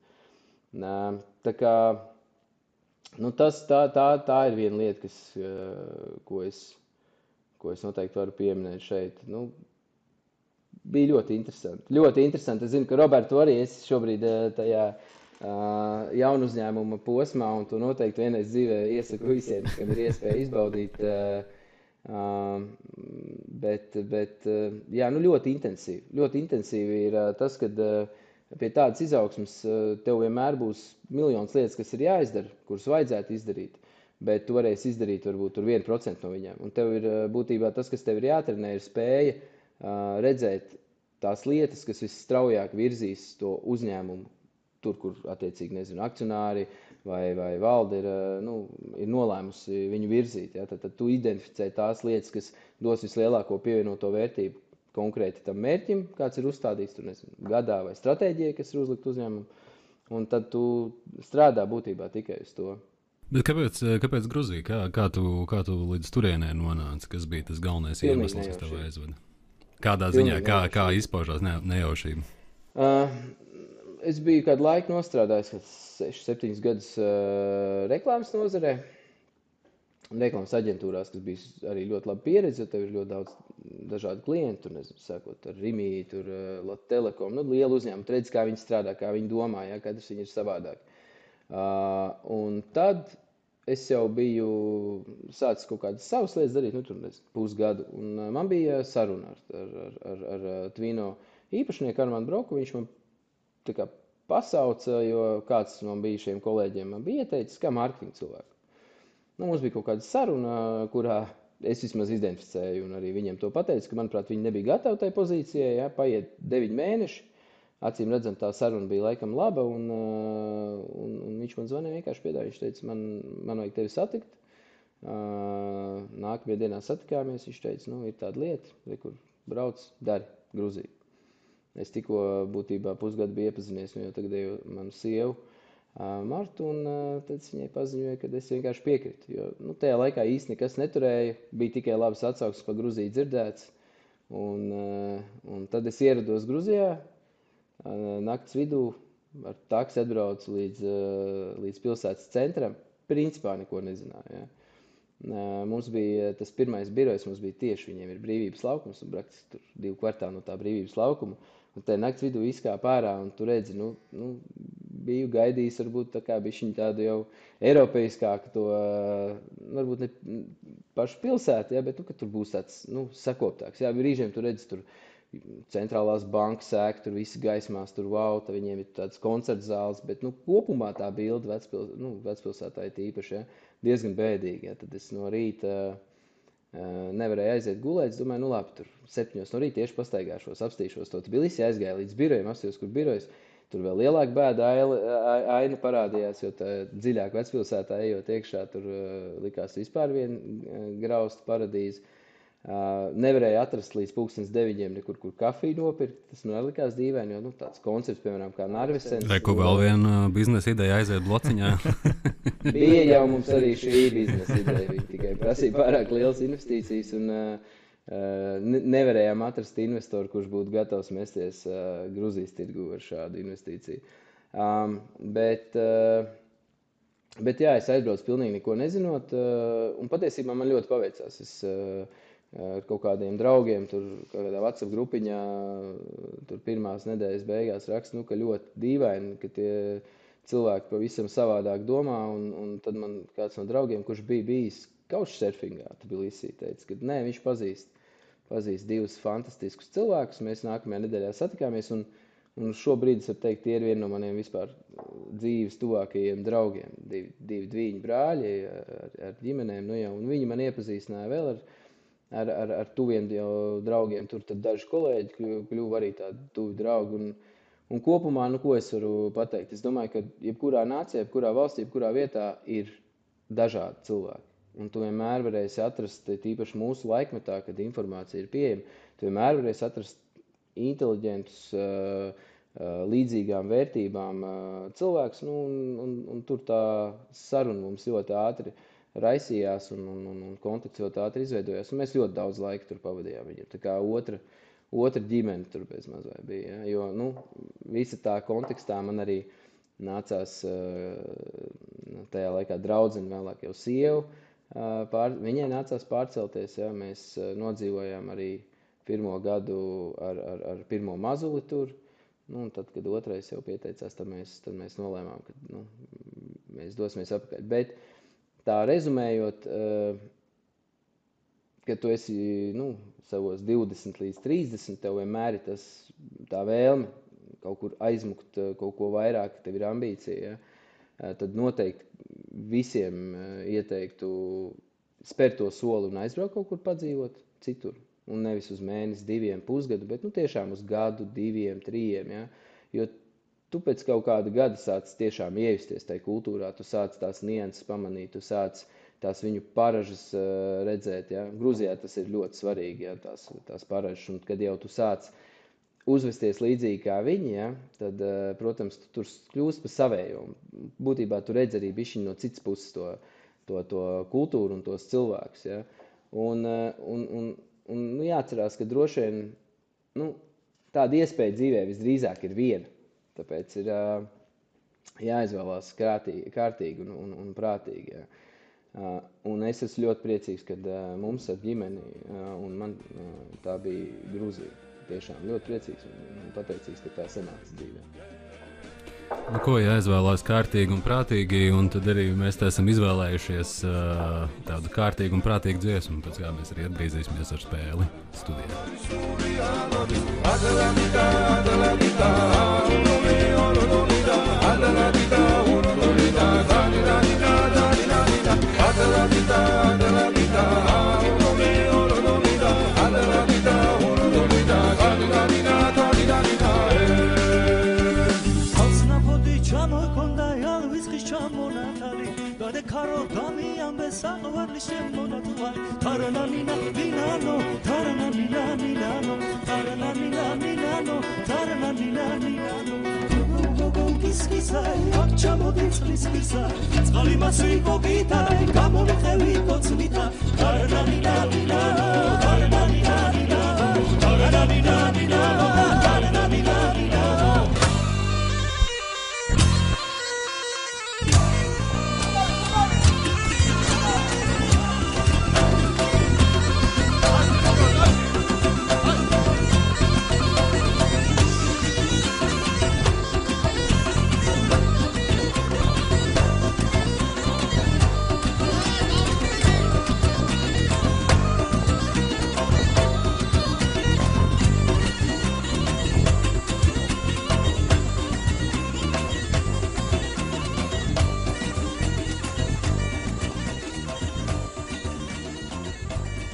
Tā kā tā ir viena lieta, ko es noteikti varu pieminēt šeit. Bija ļoti interesanti. Ļoti interesanti. Es zinu, ka Roberts arī esi šobrīd tajā jaunu uzņēmuma posmā, un tu noteikti vienreiz dzīvē iesaku visiem, kam ir iespēja izbaudīt. Bet jā, ļoti intensīvi. Ļoti intensīvi ir tas, kad pie tādas izaugsmes tev vienmēr būs miljons lietas, kas ir jāizdara, kuras vajadzētu izdarīt, bet tu varēsi izdarīt varbūt 1% no viņām. Un tev ir būtībā tas, kas tev ir jātrenē, ir spēja redzēt tās lietas, kas visstraujāk virzīs to uzņēmumu tur, kur attiecīgi, akcionāri vai valde ir nolēmusi viņu virzīt. Ja? Tad tu identificē tās lietas, kas dos vislielāko pievienoto vērtību konkrēti tam mērķim, kāds ir uzstādīts gadā vai stratēģijai, kas ir uzlikt uzņēmumu, un tad tu strādā būtībā tikai uz to. Bet kāpēc Gruzija? Kā tu līdz turienē nonāci? Kas bija tas galvenais iemesls, kas tev aizveda? Kādā ziņā, kā izpaužās nejaušība? Es biju kādu laiku nostrādājis, 6-7 gadus reklāmas nozarē, reklāmas aģentūrās, kas bija arī ļoti laba pieredze, jo tev ir ļoti daudz dažādu klientu, sākot ar Rimi, Latvijas Telekom, lielu uzņēmumu, tu redzi, kā viņi strādā, kā viņi domā, ja, katrs viņi ir savādāk. Un tad es jau biju sācis kaut kādas savas lietas darīt, pusgadu, un man bija saruna ar Tvino īpašnieku Armānu Broku, viņš man tā kā pasauca, jo kāds no bijušajiem kolēģiem man bija ieteicis, kā mārketinga cilvēku. Mums bija kaut kāda saruna, kurā es vismaz identificēju un arī viņiem to pateicu, ka, manuprāt, viņi nebija gatavi tai pozīcijai, ja, paiet 9 mēneši. Acīm redzam, tā saruna bija laikam laba, un viņš man zvanīja, vienkārši piedāvāja. Viņš teica, man vajag tevi satikt. Nākamajā dienā satikāmies, viņš teica, ir tāda lieta, kur brauc, dari Gruziju. Es tikko būtībā pusgadu biju iepazinies, jau tagadēju manu sievu Martu, un tad viņai paziņoja, ka es vienkārši piekritu. Jo tajā laikā īsti nekas neturēja, bija tikai labas atsauksmes par Gruziju dzirdēts. Un tad es ierados Gruzijā, nakts vidū ar taksi atbraucu līdz pilsētas centram. Principā neko nezināju. Ja. Mums bija tas pirmais birojs, mums bija tieši, viņiem ir brīvības laukums, un praktiski tur 2 kvartāli no tā brīvības laukuma. Un te nakts vidū izkāp ārā, un tu redzi, biju gaidījis varbūt tā kā bišķiņ tādu jau eiropeiskāku to, varbūt ne pašu pilsētu, ja, bet, ka tur būs tāds, sakoptāks. Jā, brīžiem tu redzi tur centrālās bankas ēka, tur visi gaismās, tur wow, viņiem ir tāds koncerts zāles, bet, kopumā tā bilde vecpilsētā ir tīpaši, ja, diezgan bēdīgi, ja. Tad es no rīta nevarēju aiziet gulēt, es domāju, labi, tur 7 no rīta tieši pastaigāšos, apstīšos to Tbilisi, aizgāju līdz birojiem, apstījos, kur birojas, tur vēl lielāka bēda aina parādījās, jo tā dziļāk vecpilsētā ejot iekšā, tur likās vispār viena grausta paradīze. Nevarēju atrast līdz 9:00 nekur, kur kafiju nopirkt. Tas man likās dīvaini, jo tāds koncepts, piemēram, kā Narvesens. Vai ko vēl viena biznesa ideja aiziet blociņā? Bija jau mums arī šī biznesa ideja. Viņi tikai prasīja pārāk lielas investīcijas un nevarējām atrast investoru, kurš būtu gatavs mesties Gruzijas tirgu ar šādu investīciju. Bet jā, es aizbraucu pilnīgi neko nezinot, un patiesībā man ļoti paveicās. Es ar kaut kādiem draugiem, tur kādā WhatsApp grupiņā, tur pirmās nedēļas beigās rakstu, ka ļoti dīvaini, ka tie cilvēki pavisam savādāk domā, un tad man kāds no draugiem, kurš bija bijis couchsurfingā, Tbilisī, teica, ka nē, viņš pazīst 2 fantastiskus cilvēkus, mēs nākamajā nedēļā satikāmies, un šobrīd, es varu teikt, tie ir vieni no maniem vispār dzīves tuvākajiem draugiem, 2 dviņu brāļi ar ģimenēm, un viņi man iepazīstināja vēl ar tuviem draugiem, tur tad daži kolēģi kļuva arī tādi tuvi draugi, un kopumā, ko es varu pateikt? Es domāju, ka jebkurā nācijā, jebkurā valstī, jebkurā vietā ir dažādi cilvēki, un tu vienmēr varēsi atrast, tīpaši mūsu laikmetā, kad informācija ir pieejama, tu vienmēr varēsi atrast inteliģentus, līdzīgām vērtībām cilvēkus, un tur tā saruna mums ļoti ātri raisījās un kontakts ļoti ātri izveidojās, un mēs ļoti daudz laika tur pavadījām viņam. Tā kā otra ģimene tur bez mazvai bija, ja? Jo, visa tā kontekstā man arī nācās tajā laikā draudzene, vēlāk jau sievu, viņai nācās pārcelties, ja? Mēs nodzīvojām arī 1. gadu ar pirmo mazuli tur, un tad, kad otrais jau pieteicās, tad mēs nolēmām, ka mēs dosimies atpakaļ. Bet tā rezumējot, kad tu esi savos 20 līdz 30, tev vienmēr ir tā vēlme kaut kur aizmukt kaut ko vairāk, tev ir ambīcija, ja? Tad noteikti visiem ieteiktu spērt to soli un aizbraukt kaut kur padzīvot citur. Un nevis uz mēnesi, 2, pusgadu, bet tiešām uz gadu, 2, 3, ja? Jo tu pēc kaut kāda gada sāc tiešām iejusties tajā kultūrā, tu sāc tās nianses pamanīt, tu sāc tās viņu paražas redzēt. Ja? Gruzijā tas ir ļoti svarīgi, ja? tās paražas, un kad jau tu sāc uzvesties līdzīgi kā viņi, ja? Tad, protams, tu tur kļūst pa savējo. Būtībā tu redz arī bišķiņ no citas puses to kultūru un tos cilvēkus. Ja? Un jāatcerās, ka droši vien tāda iespēja dzīvē visdrīzāk ir viena. Tāpēc ir jāizvēlās kārtīgi un prātīgi. Ja. Un es esmu ļoti priecīgs, kad mums ar ģimeni, un man tā bija Gruzija. Tiešām ļoti priecīgs un pateicīgs, ka tā sanāca dzīvē. Ko jāizvēlās kārtīgi un prātīgi, un tad arī mēs esam izvēlējušies tādu kārtīgu un prātīgu dziesmu, pēc kā mēs arī atgriezīsimies ar spēli studijā. Tarna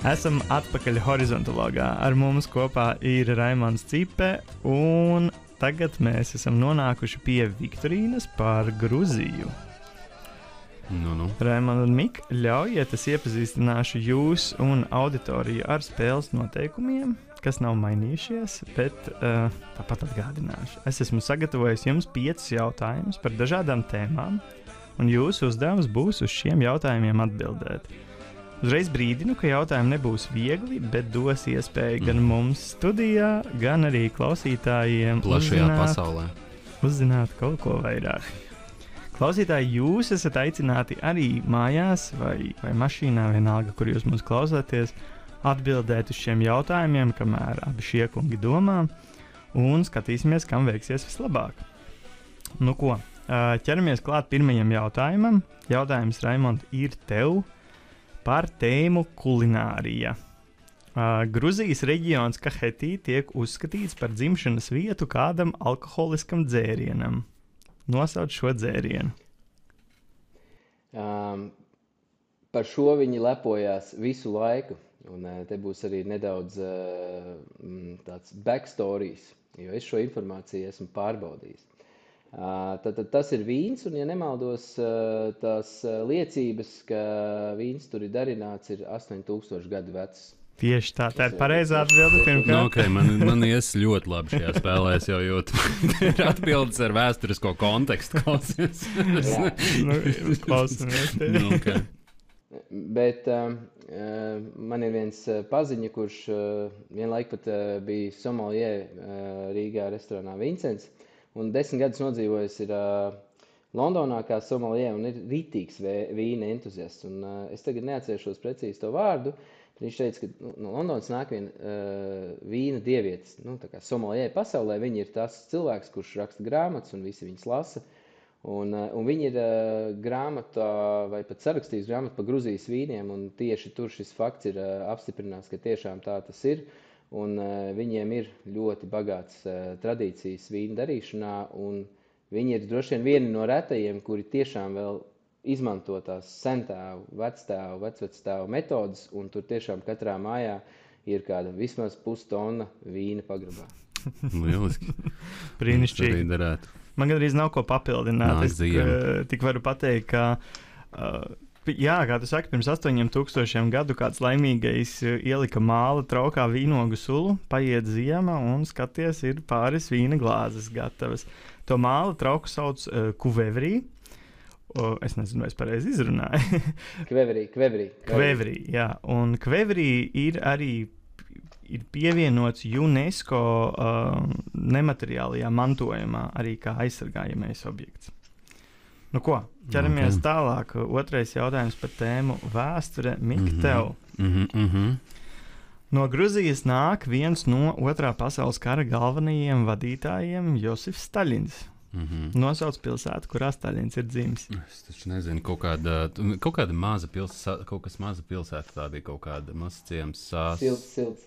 Esam atpakaļ horizontologā. Ar mums kopā ir Raimonds Cipe, un tagad mēs esam nonākuši pie Viktorīnas par Gruziju. Raimonds un Mika, ļaujiet, es iepazīstināšu jūs un auditoriju ar spēles noteikumiem, kas nav mainījušies, bet tāpat atgādināšu. Es esmu sagatavojis jums 5 jautājumus par dažādām tēmām, un jūsu uzdevums būs uz šiem jautājumiem atbildēt. Uzreiz brīdinu, ka jautājumi nebūs viegli, bet dos iespēju gan mums studijā, gan arī klausītājiem plašajā pasaulē uzzināt kaut ko vairāk. Klausītāji, jūs esat aicināti arī mājās vai mašīnā, vienalga, kur jūs mūs klausāties, atbildēt uz šiem jautājumiem, kamēr abi šie kungi domā, un skatīsimies, kam veiksies vislabāk. Nu ko, ķeramies klāt pirmajam jautājumam. Jautājums, Raimond, ir tev par tēmu kulinārija. Gruzijas reģions Kahetī tiek uzskatīts par dzimšanas vietu kādam alkoholiskam dzērienam. Nosauc šo dzērienu. Par šo viņi lepojās visu laiku. Un te būs arī nedaudz tāds backstories, jo es šo informāciju esmu pārbaudījis. Tad tas ir vīns, un, ja nemaldos, tās liecības, ka vīns tur ir darināts, ir 8000 gadu vecs. Tieši tā, tā ir pareizā atbilde pirmkārt. Okay, man ies ļoti labi šajā spēlē, es jau jūtu. Ir atbildes ar vēsturisko kontekstu. Klausamies. Okay. Bet man ir viens paziņa, kurš vienlaik pat bija sommeliē Rīgā restorānā Vincents, un 10 gadus nodzīvojis ir Londonā kā sommeliē un ir ritīgs vīna entuziasts. Un es tagad neatcerēšos precīzi to vārdu. Viņš teica, ka no Londonas nāk viena vīna dievietes, tā kā sommeliē pasaulē. Viņi ir tas cilvēks, kurš raksta grāmatas un visi viņas lasa. Un viņi ir grāmatā vai pat sarakstījis grāmatu par Gruzijas vīniem, un tieši tur šis fakts ir apstiprināts, ka tiešām tā tas ir. Un viņiem ir ļoti bagāts tradīcijas vīnu darīšanā, un viņi ir droši vien vieni no retajiem, kuri tiešām vēl izmanto tās sentēvu, vectēvu, vecvectēvu metodas, un tur tiešām katrā mājā ir kāda vismaz pustonna vīna pagrabā. Lieliski. Brīnišķīgi. Man gandrīz nav ko papildināt. Es tik varu pateikt, ka, jā, kā tu saki, pirms 8000 gadu kāds laimīgais ielika māla traukā vīnogu sulu, paiet ziema un skaties, ir pāris vīna glāzes gatavas. To māla trauku sauc kuvevrī. Es nezinu, vai es pareizi izrunāju. Kvevrī, jā. Un kvevrī ir arī pievienots UNESCO nemateriālajā mantojumā arī kā aizsargājamais objekts. Nu ko, ķeramies tālāk. Otrais jautājums par tēmu vēsture. Mik, tev. No Gruzijas nāk viens no Otrā pasaules kara galvenajiem vadītājiem Josifs Staļins. Nosauc pilsētu, kurā Staļins ir dzimis. Es taču nezinu, kaut kāda maza pilsēta, kaut kas maza pilsēta, tā bija kaut kāda mazciems Silts.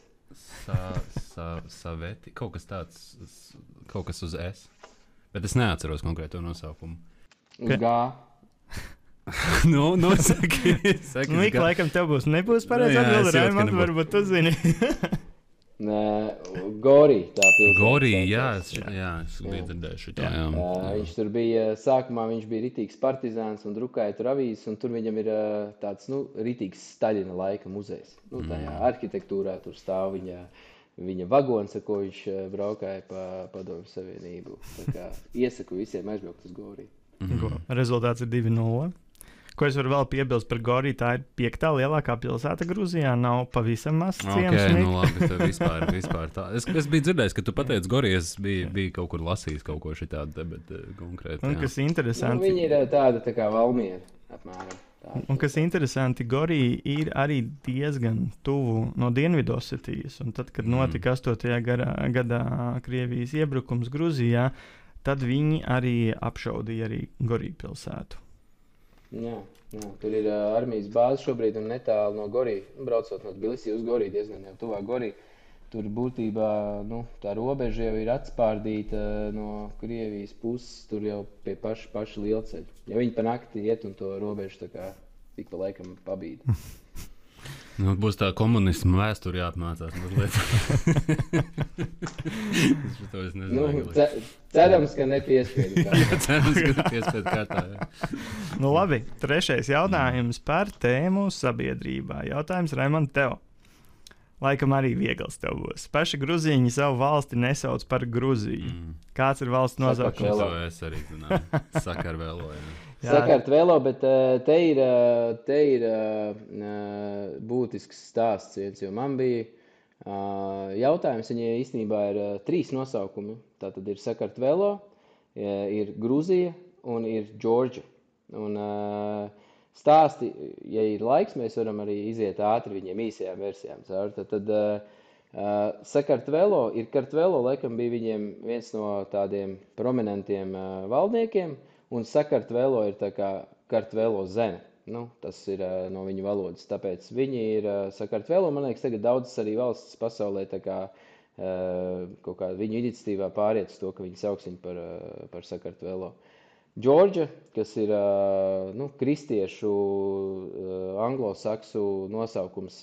Saveti, kaut kas tāds, kaut kas uz S. Bet es neatceros konkrēto nosaukumu. Gā. Saki. Mika, laikam tev nebūs pareizi atbildi, Raimond, varbūt tu zini. Gorī, tā pilsēta. Gorī, jā, es biju dzirdējuši tā, jā. Viņš tur bija, sākumā viņš bija ritīgs partizāns un drukāja tur avīzes, un tur viņam ir tāds, ritīgs Staļina laika muzejs. Tajā arhitektūrā tur stāv viņa vagons, ar ko viņš braukāja pa Padomju Savienību. Tā kā iesaku visiem aizbraukt uz Gorī. Rezultāts ir 2-0. Ko es varu vēl piebilst par Goriju, tā ir 5. lielākā pilsēta Gruzijā, nav pavisam mazs ciems. Labi, vispār tā. Es biju dzirdējis, ka tu pateici Goriju, es biju kaut kur lasījis kaut ko šitādu, bet konkrēti. Un kas interesanti. Viņi ir tāda tā kā Valmiera, apmēram. Un kas interesanti, Gorija ir arī diezgan tuvu no Dienvidosetijas, un tad, kad notika 8. gadā Krievijas iebrukums Gruzijā, tad viņi arī apšaudīja arī Goriju pilsētu. Jā, tur ir armijas bāze šobrīd un netālu no Gorī. Braucot no Tbilisī uz Gorī, diezgan jau tuvāk Gorī. Tur būtībā tā robeža jau ir atspārdīta no Krievijas puses, tur jau pie paša lielceļa. Ja viņi pa nakti iet un to robežu tā kā tik pa laikam pabīd. Nu, būs tā komunisma vēsture jāapmācās mazliet. Es nezinu. Cerams, ka nepiespiedu kārtā. Cerams, ka nepiespiedu kārtā, jā. Nu labi, trešais jautājums par tēmu sabiedrībā. Jautājums, Raimond, tev. Laikam arī viegls tev būs. Paši gruzīņi savu valsti nesauc par Gruziju. Kāds ir valsts nosaukums? To es arī zināju. Sakarvelo, jā. Sakartvelo, bet te ir būtisks stāsts viens, jo man bija jautājums, viņai īstenībā ir 3 nosaukumi. Tātad ir Sakartvelo, ir Gruzija un ir Džordža. Un stāsti, ja ir laiks, mēs varam arī iziet ātri viņiem īsajām versijām. Tad Sakartvelo ir Kartvelo, laikam bija viņiem viens no tādiem prominentiem valdniekiem, un Sakartvelo ir tā kā Kartvelo zeme. Nu, tas ir no viņu valodas, tāpēc viņi ir Sakartvelo. Man liekas, tagad daudzas arī valsts pasaulē tā kā kaut kā viņu iniciatīvā pāriet uz to, ka viņi sauks viņu par Sakartvelo. Džordža, kas ir kristiešu, anglosaksu nosaukums,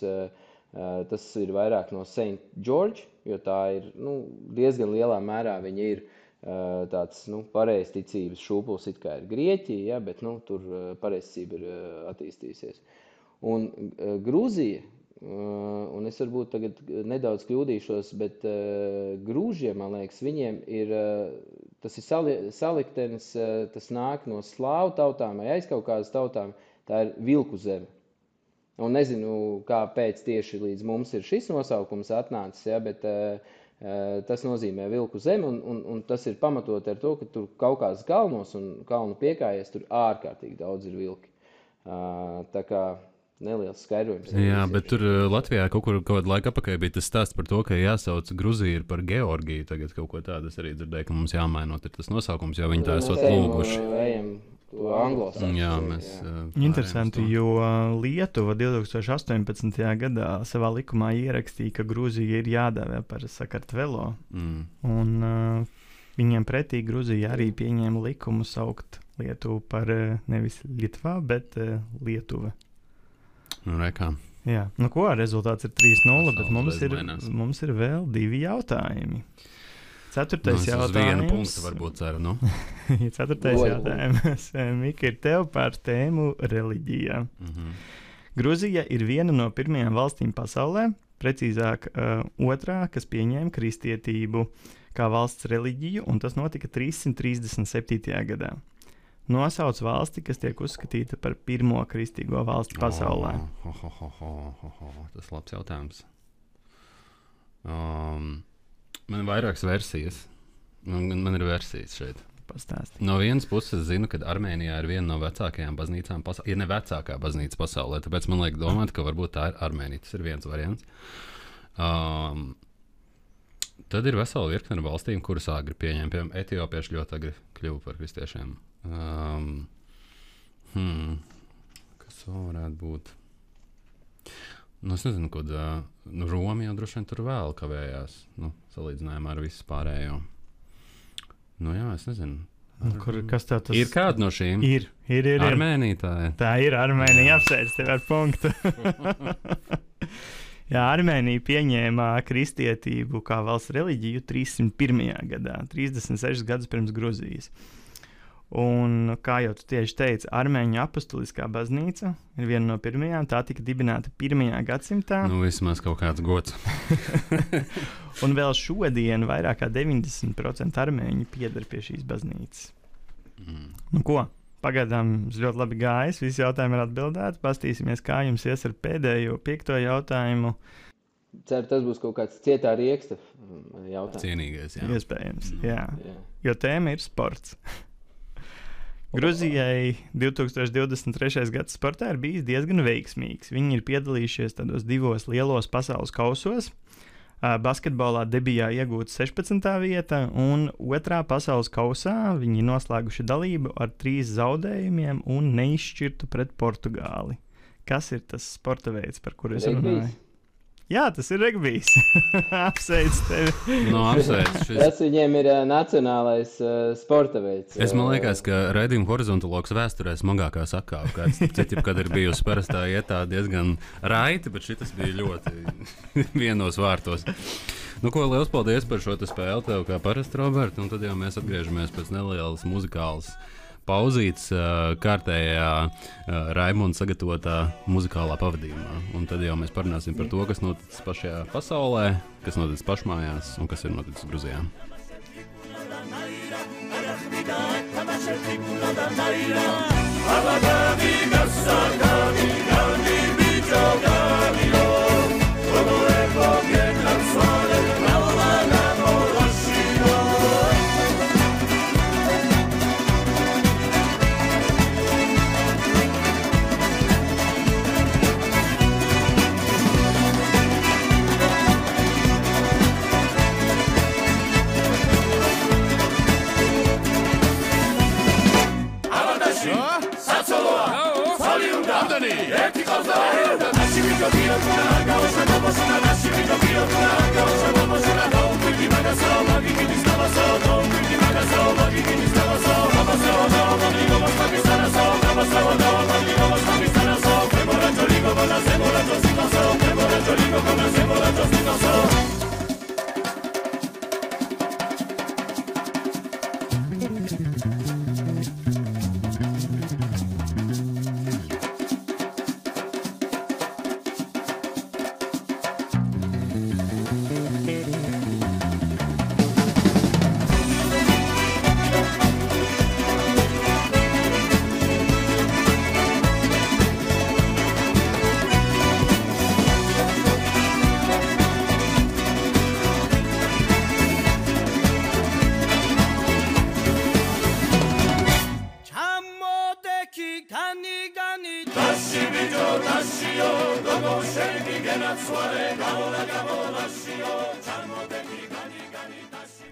tas ir vairāk no Saint George, jo tā ir diezgan lielā mērā viņa ir tāds pareizticības šūpuls, it kā ir Grieķija, ja, bet tur pareizticība ir attīstījusies. Un Grūzija, un es varbūt tagad nedaudz kļūdīšos, bet grūžiem, man liekas, viņiem ir, tas ir saliktenis, tas nāk no slāvu tautām vai aizkaukāzes tautām, tā ir vilku zeme. Un nezinu, kāpēc tieši līdz mums ir šis nosaukums atnācis, ja, bet tas nozīmē vilku zemi, un tas ir pamatot ar to, ka tur Kaukāzes kalnos un kalnu piekājies, tur ārkārtīgi daudz ir vilki. Tā kā neliels skaidrojums. Jā, bet tur Latvijā kaut kādu laiku apakaļ bija tas stāsts par to, ka jāsauc Gruzija par Georgiju. Tagad kaut ko tādu es arī dzirdēju, ka mums jāmainot ir tas nosaukums, jo viņi tā esot lūguši. To anglosaksu. Jā, mēs... Interesanti, jo Lietuva 2018. gadā savā likumā ierakstīja, ka Gruzija ir jādēvē par Sakartvelo. Un viņiem pretī Gruzija arī pieņēma likumu saukt Lietuvu par nevis Lietuvā, bet Lietuva. Nu, rekā. Jā, nu ko, rezultāts ir 3-0, bet mums ir vēl 2 jautājumi. 4. jautājums. Uz vienu punktu varbūt ceru, nu. 4. jautājums. Mika, ir tev par tēmu reliģijā. Gruzija ir viena no pirmajām valstīm pasaulē, precīzāk otrā, kas pieņēma kristietību kā valsts reliģiju, un tas notika 337. gadā. Nosauc valsti, kas tiek uzskatīta par pirmo kristīgo valsti pasaulē. Tas labs jautājums. Man ir vairākas versijas. Man ir versijas šeit. Pastāsti. No vienas puses zinu, ka Armēnijā ir viena no vecākajām baznīcām pasaulē. Ir ne vecākā baznīca pasaulē, tāpēc man liek domāt, ka varbūt tā ir Armēnija. Tas ir viens variants. Tad ir vesela virkne ar valstīm, kuras agri pieņem. Piemēram, etiopieši ļoti agri kļuva par kristiešiem. Kas vēl varētu būt? Es nezinu, kad Roma jau droši vien tur vēl kavējās, salīdzinājumā ar visu pārējo. Jā, es nezinu. Kas tev tas ir? Kāda no šīm? Ir. Armēnija tā ir. Tā ir Armēnija, apsveic tev ar punktu. Jā, Armēnija pieņēma kristietību kā valsts reliģiju 301. gadā, 36 gadus pirms Gruzijas. Un, kā jau tu tieši teici, Armēņu apostuliskā baznīca ir viena no pirmajām. Tā tika dibināta 1. gadsimtā. Vismaz kaut kāds gods. Un vēl šodien vairāk kā 90% armēņu pieder pie šīs baznīcas. Nu ko, pagaidām ļoti labi gājis, visi jautājumi ir atbildēti. Pastīsimies, kā jums ies ar pēdējo 5. jautājumu. Ceru, tas būs kaut kāds cietā rieksta jautājums. Cienīgais, jā. Iespējams, jā. Jo tēma ir sports. Gruzijai 2023. gada sportā ir bijis diezgan veiksmīgs. Viņi ir piedalījušies tādos 2 lielos pasaules kausos. Basketbolā debijā iegūta 16. vieta, un 2. pasaules kausā viņi noslēguši dalību ar 3 zaudējumiem un neizšķirtu pret Portugāli. Kas ir tas sporta veids, par kuru es runāju? Jā, tas ir regbijs. Apsveic tevi. No, apsveic. Tas viņiem ir nacionālais sporta veids. Man liekas, ka raidījuma horizontologs vēsturē smagākā sakāve, kāds cits, kad ir bijusi parastā ietā diezgan raiti, bet šitas bija ļoti vienos vārtos. Nu, ko, liels paldies par šo spēli tev, kā parasti, Roberta, un tad jau mēs atgriežamies pēc nelielas muzikālas pauzītes kārtējā Raimonda sagatavotā muzikālā pavadījumā. Un tad jau mēs parunāsim par to, kas noticis pašajā pasaulē, kas noticis pašmājās un kas ir noticis Gruzijā.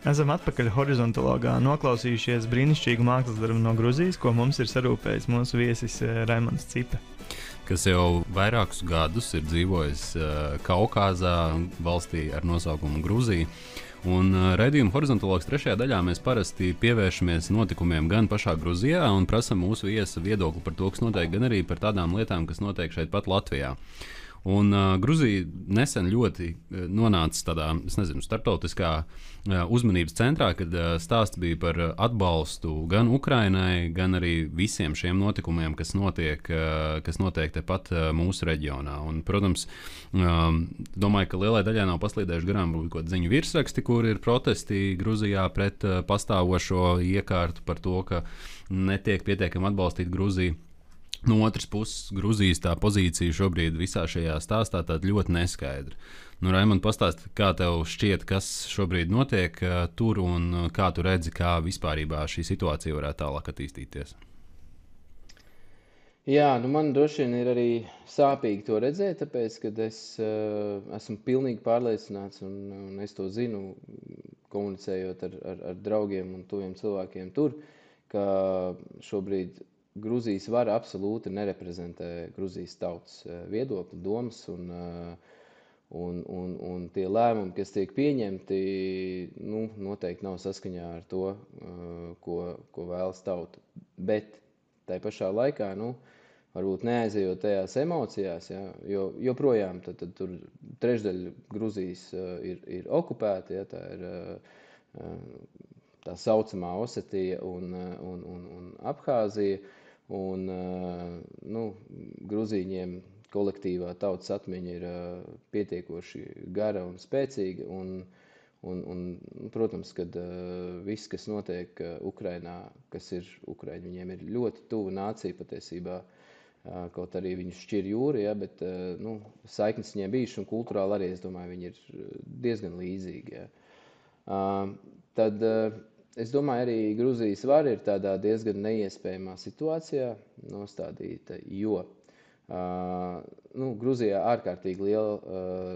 Esam atpakaļ horizontologā noklausījušies brīnišķīgu mākslas darbu no Gruzijas, ko mums ir sarūpējis mūsu viesis Raimonds Cipe. Kas jau vairākus gadus ir dzīvojis Kaukazā, valstī ar nosaukumu Gruzija. Un raidījuma horizontologs 3. daļā mēs parasti pievēršamies notikumiem gan pašā Gruzijā un prasam mūsu viesa viedokli par to, kas notiek, gan arī par tādām lietām, kas notiek šeit pat Latvijā. Un Gruzija nesen ļoti nonāca tādā, starptautiskā uzmanības centrā, kad stāsts bija par atbalstu gan Ukrainai, gan arī visiem šiem notikumiem, kas notiek tepat mūsu reģionā. Un, protams, domāju, ka lielai daļai nav paslīdējuši garām kaut kādi ziņu virsraksti, kur ir protesti Gruzijā pret pastāvošo iekārtu par to, ka netiek pietiekami atbalstīt Gruziju. No otras puses, Gruzijas tā pozīcija šobrīd visā šajā stāstā tāda ļoti neskaidra. Nu, Raimond, pastāsti, kā tev šķiet, kas šobrīd notiek tur un kā tu redzi, kā vispārībā šī situācija varētu tālāk attīstīties? Jā, man droši vien ir arī sāpīgi to redzēt, tāpēc, ka es esmu pilnīgi pārliecināts un es to zinu, komunicējot ar draugiem un tuviem cilvēkiem tur, ka šobrīd Gruzijas vara absolūti nereprezentē Gruzijas tautas viedokli, domas un tie lēmumi, kas tiek pieņemti, noteikti nav saskaņā ar to, ko vēlas tauta. Bet tai pašā laikā, varbūt neaizejot tajās emocijās, ja, jo joprojām tad tur trešdaļa Gruzijas ir okupēta, ja, tā ir tā saucamā Osetija un Abhāzija. Un Gruzīņiem kolektīvā tautas atmiņa ir pietiekoši gara un spēcīga. Un protams, kad viss, kas notiek Ukrainā, kas ir Ukraiņi, viņiem ir ļoti tuva nācija patiesībā, kaut arī viņus šķir jūra, ja, bet saiknes viņiem bijuši un kulturāli arī, es domāju, viņi ir diezgan līdzīgi. Ja. Tad es domāju, arī Gruzijas vara ir tādā diezgan neiespējamā situācijā nostādīta, jo Gruzijā ārkārtīgi liela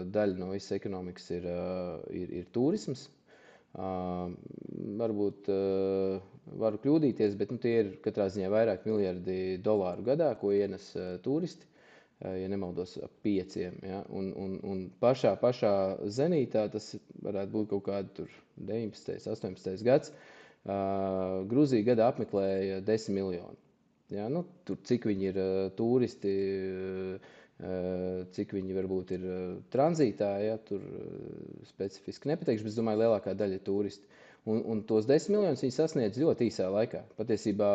daļa no visas ekonomikas ir turisms. Varbūt varu kļūdīties, bet tie ir katrā ziņā vairāk miljardi dolāru gadā, ko ienes turisti. ja nemaldos, ap 5. Ja? Un pašā zenītā, tas varētu būt kaut kādi tur 19. 18. gads, Gruzija gadā apmeklēja 10 miljoni. Ja? Nu, tur, cik viņi ir turisti, cik viņi varbūt ir tranzītā, ja? Tur specifiski nepateikšu, bet es domāju, lielākā daļa ir turisti. Un tos 10 miljonus viņi sasniedz ļoti īsā laikā. Patiesībā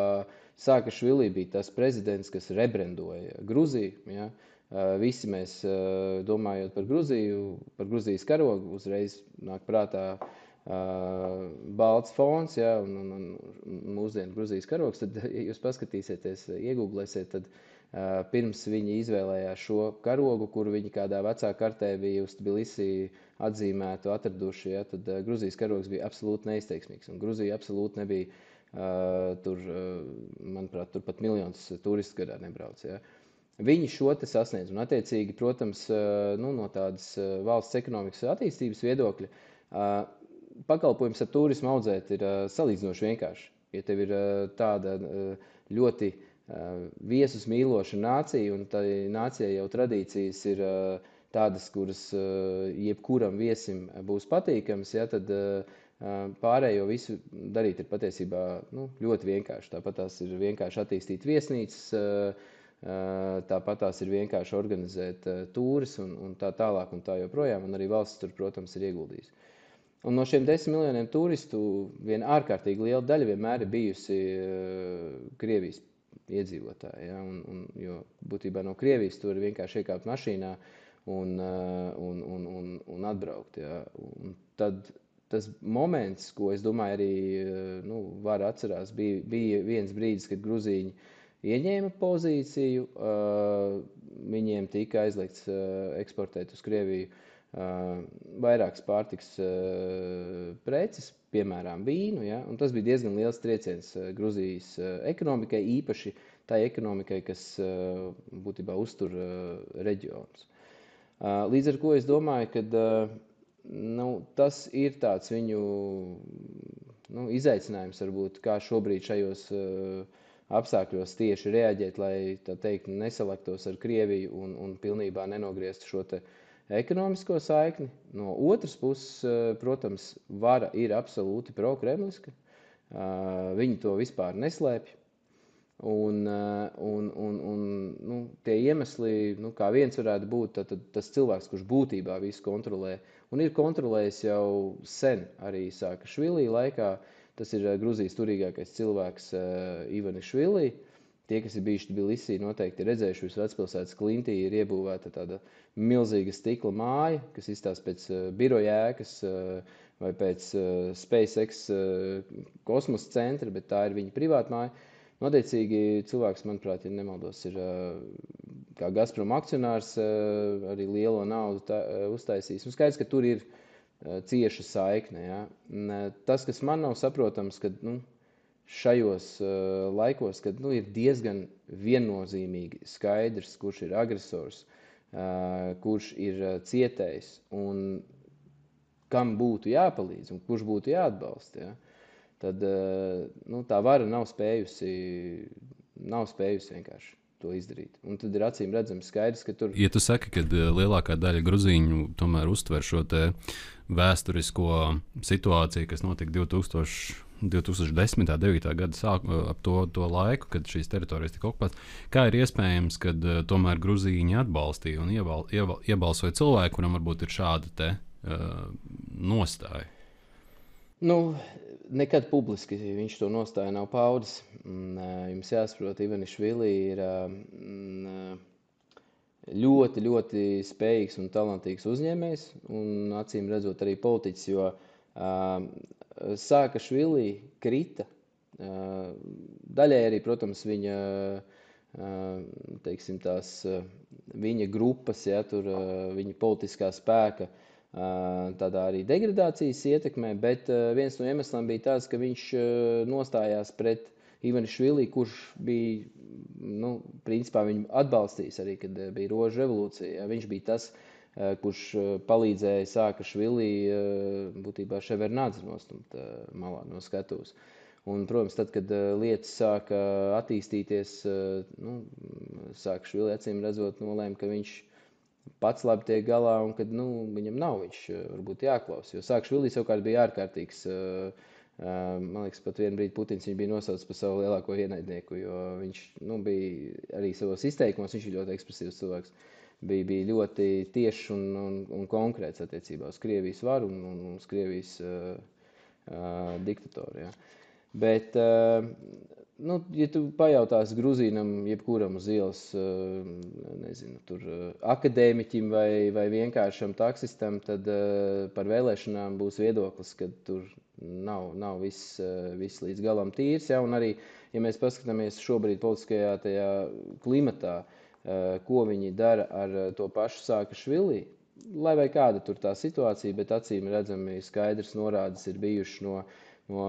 Saakašvili bija tas prezidents, kas rebrendoja Gruziju. Ja? Visi mēs, domājot par Gruziju, par Gruzijas karogu, uzreiz nāk prātā balts fons, ja? un mūsdienu Gruzijas karogs. Tad, ja jūs paskatīsieties, iegūglēsiet, tad pirms viņi izvēlējās šo karogu, kuru viņi kādā vecā kartē bija uz Tbilisī atzīmētu, atraduši, ja, tad Gruzijas karogs bija absolūti neizteiksmīgs. Un Gruzija absolūti nebija tur, manuprāt, tur pat miljonus turistu gadā nebrauc. Ja. Viņi šo te sasniedz. Un attiecīgi, protams, no tādas valsts ekonomikas attīstības viedokļa, pakalpojums ar turismu audzēt ir salīdzinoši vienkārši. Ja tev ir tāda ļoti viesus mīloša nācija, un tā nācijai jau tradīcijas ir tādas, kuras jebkuram viesim būs patīkams, ja, tad pārējo visu darīt ir patiesībā ļoti vienkārši. Tāpat tās ir vienkārši attīstīt viesnīcas, tāpat tās ir vienkārši organizēt tūris un tā tālāk un tā joprojām, un arī valsts tur, protams, ir ieguldījusi. Un no šiem 10 miljoniem turistu viena ārkārtīgi liela daļa vienmēr ir bijusi Krievijas iedzīvotāji, ja, jo būtībā no Krievijas tur vienkārši iekāpt mašīnā un atbraukt. Ja. Un tad tas moments, ko es domāju arī var atcerās, bija viens brīdis, kad gruzīņi ieņēma pozīciju, viņiem tika aizliegts eksportēt uz Krieviju vairākas pārtikas preces, piemēram, vīnu, ja? Un tas bija diezgan liels trieciens Gruzijas ekonomikai, īpaši tai ekonomikai, kas būtībā uztur reģionus. Līdz ar ko es domāju, ka tas ir tāds viņu izaicinājums, varbūt, kā šobrīd šajos apstākļos tieši reaģēt, lai tā teikt nesalaktos ar Krieviju un pilnībā nenogrieztu šo te ekonomisko saikni. No otras puses, protams, vara ir absolūti pro-kremliska. Viņi to vispār neslēpj. Un tie iemesli, kā viens varētu būt, tad tas cilvēks, kurš būtībā visu kontrolē, un ir kontrolējis jau sen arī Saakašvili laikā, tas ir Gruzijas turīgākais cilvēks Ivanišvili. Tie, kas ir bijuši Tbilisī, noteikti ir redzējuši, uz vecpilsētas klintī ir iebūvēta tāda milzīga stikla māja, kas izstāsta pēc biroja ēkas vai pēc SpaceX kosmosa centra, bet tā ir viņa privāta māja. Noteicīgi cilvēks, manuprāt, ja nemaldos, ir kā Gazprom akcionārs arī lielo naudu uztaisījis. Un skaidrs, ka tur ir cieša saikne. Ja? Tas, kas man nav saprotams, kad šajos laikos, kad ir diezgan viennozīmīgi skaidrs, kurš ir agresors, kurš ir cietējs un kam būtu jāpalīdz un kurš būtu jāatbalsta, ja? Tad tā vara nav spējusi vienkārši to izdarīt. Un tad ir acīm redzams skaidrs, ka tur... Ja tu saki, ka lielākā daļa gruzīņu tomēr uztver šo te vēsturisko situāciju, kas notika 2010. 9. gada ap to laiku, kad šīs teritorijas tika okupētas, kā ir iespējams, kad tomēr gruzīņi atbalstīja un iebalsoja cilvēku, kuram varbūt ir šāda te nostāja? Nekad publiski viņš to nostāju nav paudis. Jums jāsaprot, Ivanišvili ir ļoti, ļoti spējīgs un talantīgs uzņēmējs un acīm redzot arī politiķis, jo Saakašvili krita. Daļai arī, protams, viņa, teiksim, viņa grupas, ja, tur viņa politiskā spēka tādā arī degradācijas ietekmē, bet viens no iemesliem bija tāds, ka viņš nostājās pret Ivanišvili, kurš bija, principā viņu atbalstījis arī, kad bija Rožu revolūcija. Ja. Viņš bija tas, kurš palīdzēja Saakašvili būtībā Ševardnadzi nostumt malā no skatuves. Un, protams, tad, kad lietas sāka attīstīties, sāka Švili acīm redzot nolēma, ka viņš pats labi tiek galā un kad viņam nav viņš varbūt jāklaus. Jo sāk Švilī savukārt bija ārkārtīgs, man liekas, pat vienu brīdi Putins viņu bija nosaucis par savu lielāko ienaidnieku, jo viņš bija arī savos izteikumos, viņš ir ļoti ekspresīvs cilvēks, bija ļoti tiešs un konkrēts attiecībā uz Krievijas varu un uz Krievijas diktatoru. Ja. Bet, ja tu pajautāsi Gruzīnam, jebkuram uz ielas, nezinu, tur akadēmiķim vai vienkāršam taksistam, tad par vēlēšanām būs viedoklis, ka tur nav viss līdz galam tīrs. Ja? Un arī, ja mēs paskatāmies šobrīd politiskajā tajā klimatā, ko viņi dara ar to pašu Sākašvili, lai vai kāda tur tā situācija, bet acīm redzami skaidrs norādes ir bijuši no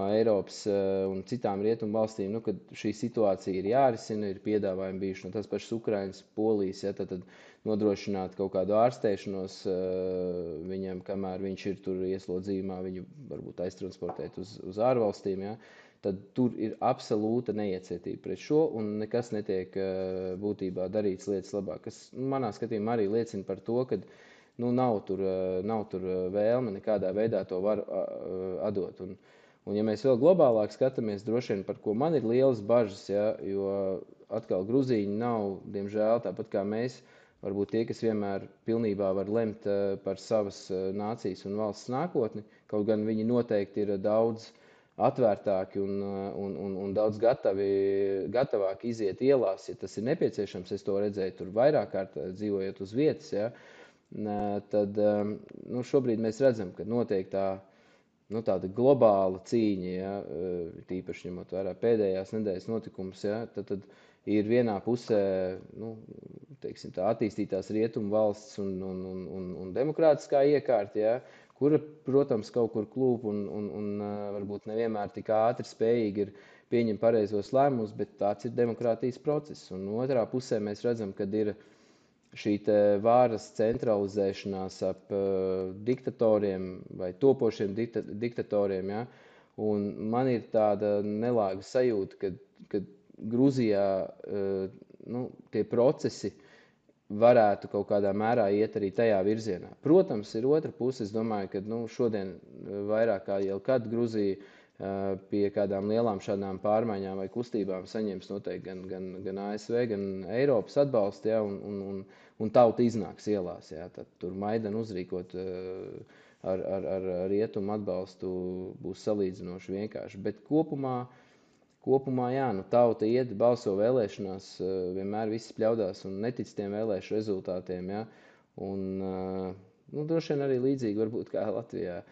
Eiropas un citām rietumu valstīm, kad šī situācija ir jārisina, ir piedāvājumi bijuši no tās pašas Ukrainas, Polijas, ja, tad nodrošināt kaut kādu ārstēšanos viņam, kamēr viņš ir tur ieslodzījumā, viņu varbūt aiztransportēt uz ārvalstīm, ja, tad tur ir absolūta neiecietība pret šo un nekas netiek būtībā darīts lietas labāk, kas manā skatījumā arī liecina par to, ka nav tur vēlme nekādā veidā to var atdot. Un ja mēs vēl globālāk skatāmies, droši vien, par ko man ir lielas bažas, ja, jo atkal Gruzīņi nav, diemžēl, tāpat kā mēs, varbūt tie, kas vienmēr pilnībā var lemt par savas nācijas un valsts nākotni, kaut gan viņi noteikti ir daudz atvērtāki un daudz gatavāki iziet ielās, ja tas ir nepieciešams. Es to redzēju tur vairāk kārt dzīvojot uz vietas, ja, tad šobrīd mēs redzam, ka notiek tāda globāla cīņa, ja, tīpaši ņemot vērā pēdējās nedēļas notikums, ja, tad ir vienā pusē teiksim, tā attīstītās rietumu valsts un demokrātiskā iekārta, ja, kura, protams, kaut kur klūp un varbūt nevienmēr tik ātri spējīgi ir pieņemt pareizos lēmumus, bet tāds ir demokrātijas process. Un otrā pusē mēs redzam, kad ir šī vāras centralizēšanās ap diktatoriem vai topošiem diktatoriem, ja? Un man ir tāda nelāga sajūta, ka Gruzijā tie procesi varētu kaut kādā mērā iet arī tajā virzienā. Protams, ir otra puse, es domāju, ka šodien vairāk kā jau kad Gruzija pie kādām lielām šādām pārmaiņām vai kustībām saņems noteikti gan ASV, gan Eiropas atbalstu, ja, un tauta iznāks ielās. Ja, tad tur Maidanu uzrīkot ar rietumu atbalstu būs salīdzinoši vienkārši. Bet kopumā jā, tauta iet, balso vēlēšanās, vienmēr viss pļaudās un netic tiem vēlēšu rezultātiem. Ja, un droši vien arī līdzīgi varbūt kā Latvijā.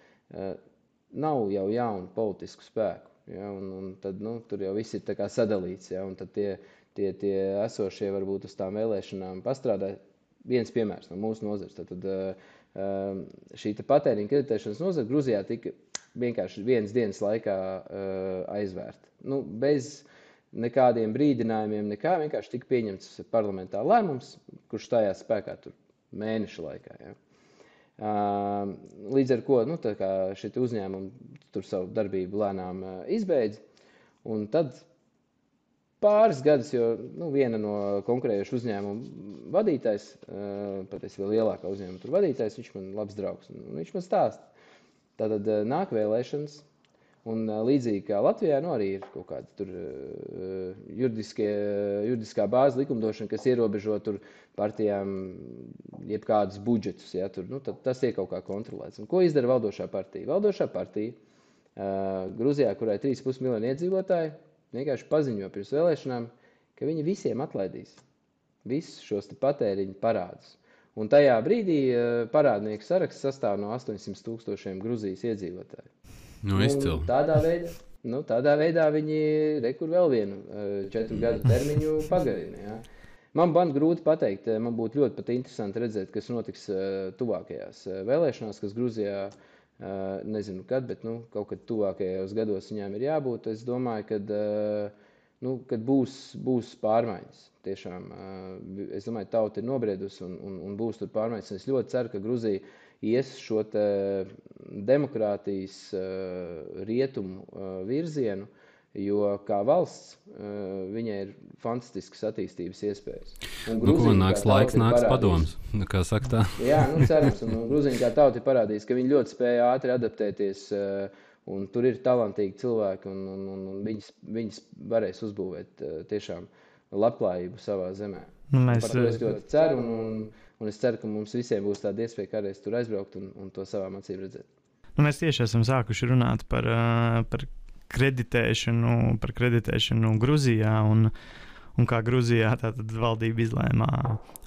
Nav jau jaunu politisku spēku, ja, un tad tur jau viss ir tā kā sadalīts, ja, un tad tie esošie varbūt uz tām vēlēšanām pastrādā. Viens piemērs no mūsu nozares. Tad šī patēriņa kreditēšanas nozara Gruzijā tika vienkārši vienas dienas laikā aizvērta. Bez nekādiem brīdinājumiem, vienkārši tika pieņemts parlamentā lēmums, kurš stājās spēkā tur mēneša laikā. Ja. Līdz ar ko šie uzņēmumi tur savu darbību lēnām izbeidz. Un tad pāris gadus, jo viena no konkurējušu uzņēmumu vadītājs, patiesi vēl lielākā uzņēmuma tur vadītājs, viņš man labs draugs. Viņš man stāsta. Tātad nāk vēlēšanas. Un līdzīgi kā Latvijā, arī ir kaut kāda tur juridiskā bāze likumdošana, kas ierobežo tur partijām jebkādus budžetus. Ja, tur, tad tas ir kaut kā kontrolēts. Un ko izdara valdošā partija? Valdošā partija Gruzijā, kurai 3,5 miljoni iedzīvotāji, vienkārši paziņo pirms vēlēšanām, ka viņi visiem atlaidīs visus šos patēriņu parādus. Un tajā brīdī parādnieku saraksts sastāv no 800,000 Gruzijas iedzīvotāju. Tādā veidā viņi rekur vēl vienu 4 gadu termiņu pagarina. Ja. Man grūti pateikt, man būtu ļoti pat interesanti redzēt, kas notiks tuvākajās vēlēšanās, kas Gruzijā, nezinu kad, bet kaut kad tuvākajos gados viņām ir jābūt. Es domāju, kad būs pārmaiņas. Tiešām, es domāju, tauta ir nobriedusi un būs tur pārmaiņas. Es ļoti ceru, ka Gruzija ies šo demokrātijas rietumu virzienu, Jo kā valsts, viņai ir fantastiskas attīstības iespējas. Nāks laiks, nāks padoms, kā saka tā. Jā, cerams, un Gruzija kā tauta ir parādījis, ka viņi ļoti spēja ātri adaptēties, un tur ir talantīgi cilvēki, un viņas varēs uzbūvēt tiešām labklājību savā zemē. Par to es ļoti ceru, un es ceru, ka mums visiem būs tāda iespēja kādreiz tur aizbraukt un to savām acīm redzēt. Mēs tieši esam sākuši runāt par kreditēšanu Gruzijā, un kā Gruzijā tātad valdība izlēma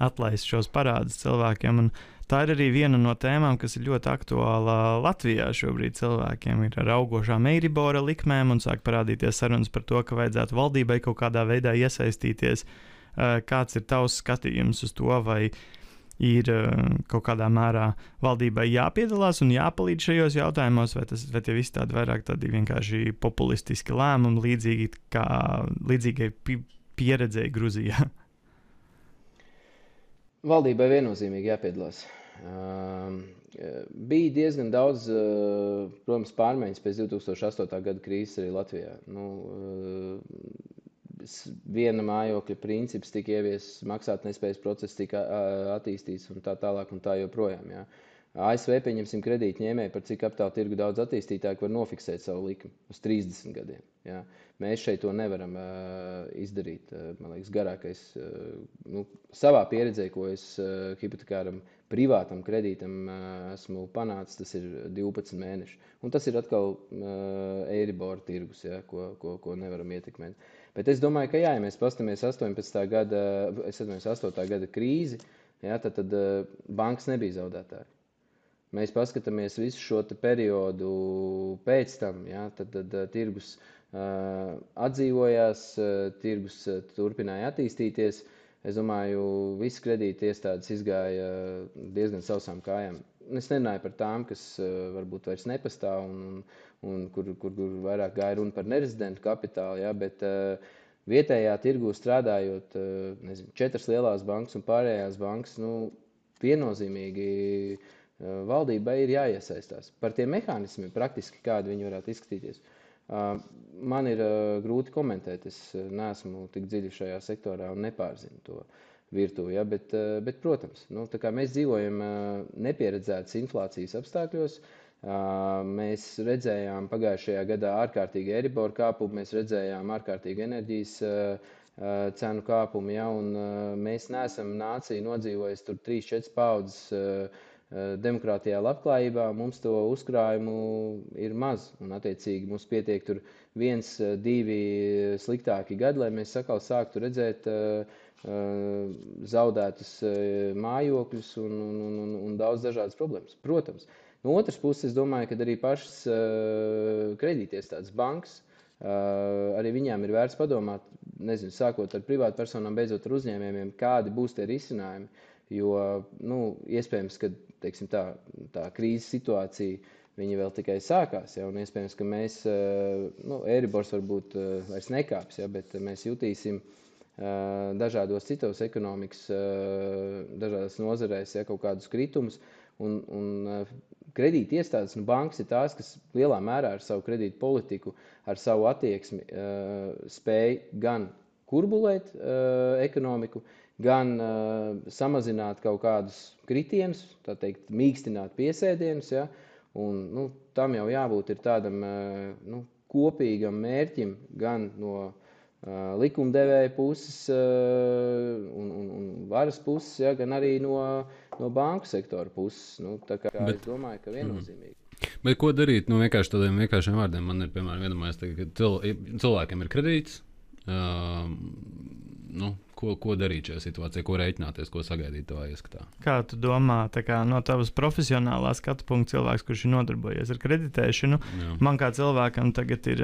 atlaist šos parādus cilvēkiem. Un tā ir arī viena no tēmām, kas ir ļoti aktuāla Latvijā šobrīd cilvēkiem. Ir ar augošām Eiribora likmēm un sāk parādīties sarunas par to, ka vajadzētu valdībai kaut kādā veidā iesaistīties. Kāds ir tavs skatījums uz to, vai ir kaut kādā mērā valdībai jāpiedalās un jāpalīdz šajos jautājumos, vai tie visi tādi vairāk tādi vienkārši populistiski lēmumi, līdzīgai pieredzēji Gruzijā? Valdībai viennozīmīgi jāpiedalās. Bija diezgan daudz, protams, pārmaiņas pēc 2008. gada krīzes arī Latvijā. Viena mājokļa princips tika ieviesis, maksātnespējas process tika attīstīts un tā tālāk un tā joprojām. Jā. ASV, pieņemsim, kredītņēmēji, par cik kapitāla tirgu daudz attīstītāki var nofiksēt savu likumu uz 30 gadiem. Jā. Mēs šeit to nevaram izdarīt. Man liekas, garākais, savā pieredzē, ko es hipotekāram privātam kredītam esmu panācis, tas ir 12 mēneši. Un tas ir atkal Eiribora tirgus, jā, ko nevaram ietekmēt. Bet es domāju, ka jā, ja mēs pastamies 8. gada krīzi, jā, tad bankas nebija zaudētāji. Mēs paskatāmies visu šo periodu pēc tam, jā, tad tirgus atdzīvojās, tirgus turpināja attīstīties. Es domāju, visi kredīti iestādes izgāja diezgan sausām kājām. Es nerunāju par tām, kas varbūt vairs nepastāv un kur vairāk gāja runa par nerezidentu kapitālu, jā, bet vietējā tirgū strādājot, 4 lielās bankas un pārējās bankas, viennozīmīgi valdībai ir jāiesaistās. Par tiem mehānismiem praktiski, kādi viņi varētu izskatīties. Man ir grūti komentēt, es neesmu tik dziļi šajā sektorā un nepārzinu to virtuvi, ja, bet protams, tā kā mēs dzīvojam nepieredzētas inflācijas apstākļos, mēs redzējām pagājušajā gadā ārkārtīgi Eiribora kāpumu, mēs redzējām ārkārtīgi enerģijas cenu kāpumu, ja, un mēs neesam nācija nodzīvojis tur 3-4 paudzes demokrātijā labklājībā, mums to uzkrājumu ir maz, un attiecīgi mums pietiek tur 1-2 sliktāki gadi, lai mēs sāktu redzēt zaudētus mājokļus un daudz dažādas problēmas. Protams, no otras puses, es domāju, ka arī pašas kredītiestādes bankas, arī viņām ir vērts padomāt, sākot ar privātpersonām, beidzot ar uzņēmējiem, kādi būs tie risinājumi, jo, iespējams, ka, teiksim, tā krīzes situācija, viņi vēl tikai sākās, ja, un iespējams, ka mēs, Eiribors varbūt vairs nekāps, ja, bet mēs jutīsim dažādos citos ekonomikas, dažādās nozarēs, ja, kaut kādus kritumus, un kredīti iestādes un bankas ir tās, kas lielā mērā ar savu kredītu politiku, ar savu attieksmi spēj gan kurbulēt ekonomiku, gan samazināt kaut kādus kritienus, tā teikt, mīkstināt piesēdienus, ja, un tam jau jābūt ir tādam kopīgam mērķim gan no likumdevēja puses un varas puses, ja, gan arī no banku sektora puses. Tā kā es domāju, ka viennozīmīgi. Bet ko darīt? Vienkārši tādiem vienkāršiem vārdiem. Man ir, piemēram, iedomājies, ka cilvēkiem ir kredīts. Ko darīt šajā situācijā, ko reiķināties, ko sagaidīt tavā ieskatā? Kā tu domā, no tavas profesionālā skatu punkta cilvēks, kurš ir nodarbojies ar kreditēšanu, man kā cilvēkam tagad ir,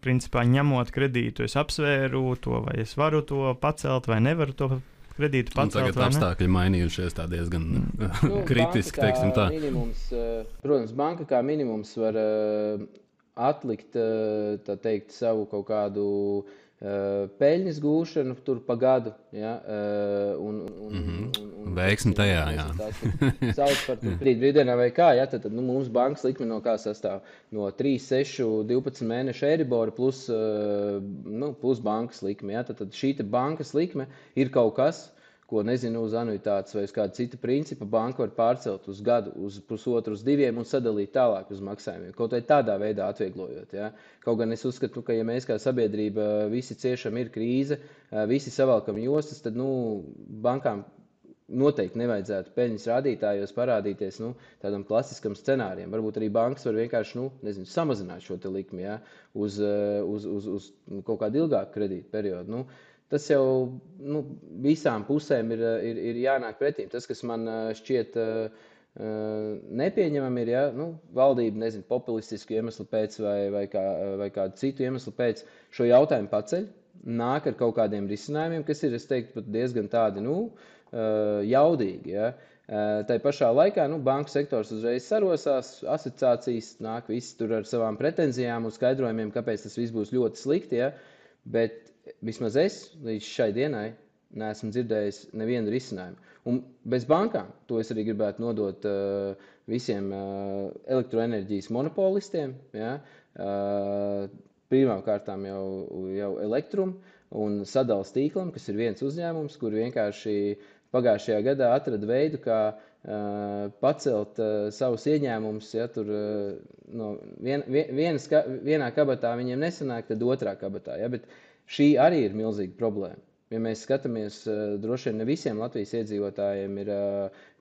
principā ņemot kredītu, es apsvēru to, vai es varu to pacelt vai nevaru to kredītu pacelt. Tagad apstākļi mainījušies tā diezgan kritiski, teiksim tā. Minimums, protams, banka kā minimums var atlikt, tā teikt, savu kaut kādu peļņas gūšanu tur pa gadu, ja, veiksmi tajā, jā. Sauc par brīddienā vai kā, ja, tad mums bankas likme no kā sastāv? No 3, 6, 12 mēnešu Eiribora plus bankas likme, ja, tad šī bankas likme ir kaut kas, ko nezinu uz anuitātes vai uz kādu citu principu, banka var pārcelt uz gadu, uz pusotru, uz 2 un sadalīt tālāk uz maksājumiem. Kaut vai tādā veidā atvieglojot. Ja? Kaut gan es uzskatu, ka ja mēs kā sabiedrība visi ciešam ir krīze, visi savalkam jostas, tad bankām noteikti nevajadzētu peļņas rādītājos parādīties tādam klasiskam scenārijam. Varbūt arī bankas var vienkārši samazināt šo te likmi, ja? uz kaut kādu ilgāku kredītu periodu. Tas jau visām pusēm ir jānāk pretīm. Tas, kas man šķiet nepieņemami, ir, ja, valdība, populistisku iemeslu pēc vai kādu citu iemeslu pēc šo jautājumu paceļ, nāk ar kaut kādiem risinājumiem, kas ir, es teiktu, pat diezgan tādi, jaudīgi, ja. Tai pašā laikā, banku sektors uzreiz sarosās, asociācijas nāk visi tur ar savām pretenzijām un skaidrojumiem, kāpēc tas viss būs ļoti slikti, ja, bet vismaz es līdz šai dienai neesmu dzirdējis nevienu risinājumu. Un bez bankām, to es arī gribētu nodot visiem elektroenerģijas monopolistiem, ja, pirmām kārtām jau Elektrum un Sadales tīklam, kas ir viens uzņēmums, kur vienkārši pagājušajā gadā atrada veidu, kā pacelt savus ieņēmumus, ja tur vienā kabatā viņiem nesanāk, tad otrā kabatā, ja, bet šī arī ir milzīga problēma. Ja mēs skatāmies, droši vien ne visiem Latvijas iedzīvotājiem ir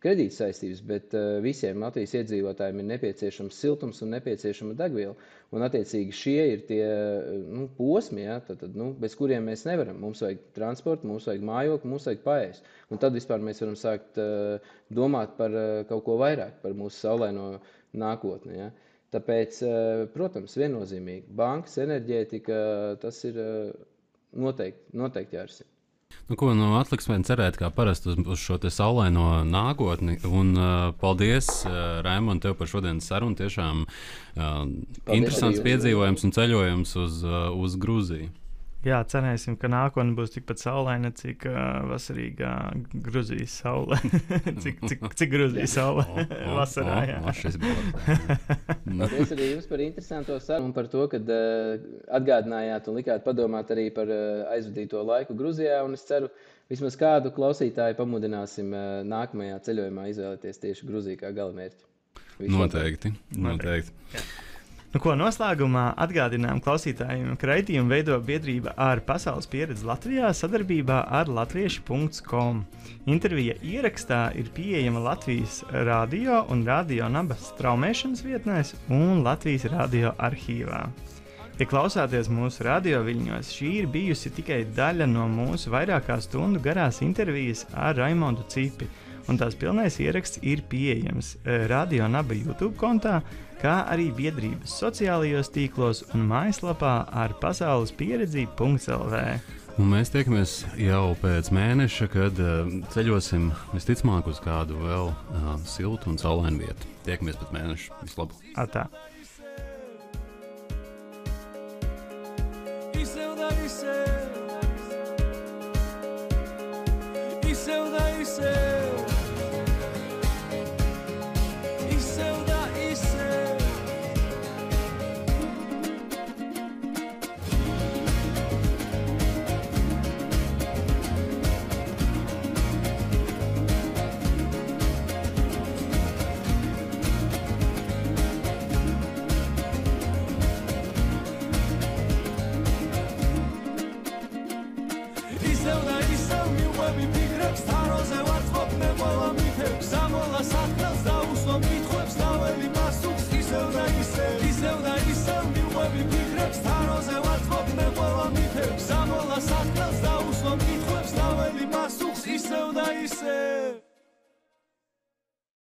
kredīta saistības, bet visiem Latvijas iedzīvotājiem ir nepieciešams siltums un nepieciešama degviela. Un attiecīgi šie ir tie posmi, ja, tad, bez kuriem mēs nevaram. Mums vajag transportu, mums vajag mājokli, mums vajag paēst. Un tad vispār mēs varam sākt domāt par kaut ko vairāk, par mūsu saulaino nākotni. Ja. Tāpēc, protams, viennozīmīgi, bankas, enerģētika, tas ir noteikti jārisina. Atliks vien cerēt, kā parasti uz šo te saulaino nākotni. Un paldies, Raimond, tev par šodienas sarunu. Tiešām interesants piedzīvojums un ceļojums uz Gruziju. Jā, cerēsim, ka nākotne būs tikpat saulaina, cik vasarīgā Gruzijas saule. cik Gruzijas saule vasarā, jā. Paldies arī jums par interesanto sarunu un par to, kad atgādinājāt un likāt padomāt arī par aizvadīto laiku Gruzijā. Un es ceru, vismaz kādu klausītāju pamudināsim nākamajā ceļojumā izvēlēties tieši Gruziju kā galamērķi. Noteikti. Noslēgumā atgādinām klausītājiem, ka raidījumu veido biedrība ar pasaules pieredzi Latvijā sadarbībā ar latvieši.com. Intervija ierakstā ir pieejama Latvijas radio un Radio Naba straumēšanas vietnēs un Latvijas radio arhīvā. Ja klausāties mūsu radio viļņos, šī ir bijusi tikai daļa no mūsu vairākā stundu garās intervijas ar Raimondu Cipi, un tās pilnais ieraksts ir pieejams Radio Naba YouTube kontā, kā arī biedrības sociālajos tīklos un mājaslapā ar pasaulespieredzi.lv. Un mēs tiekamies jau pēc mēneša, kad ceļosim visticamāk uz kādu vēl siltu un saulainu vietu. Tiekamies pēc mēneša. Vislabāk! Atā! Iseu da iseu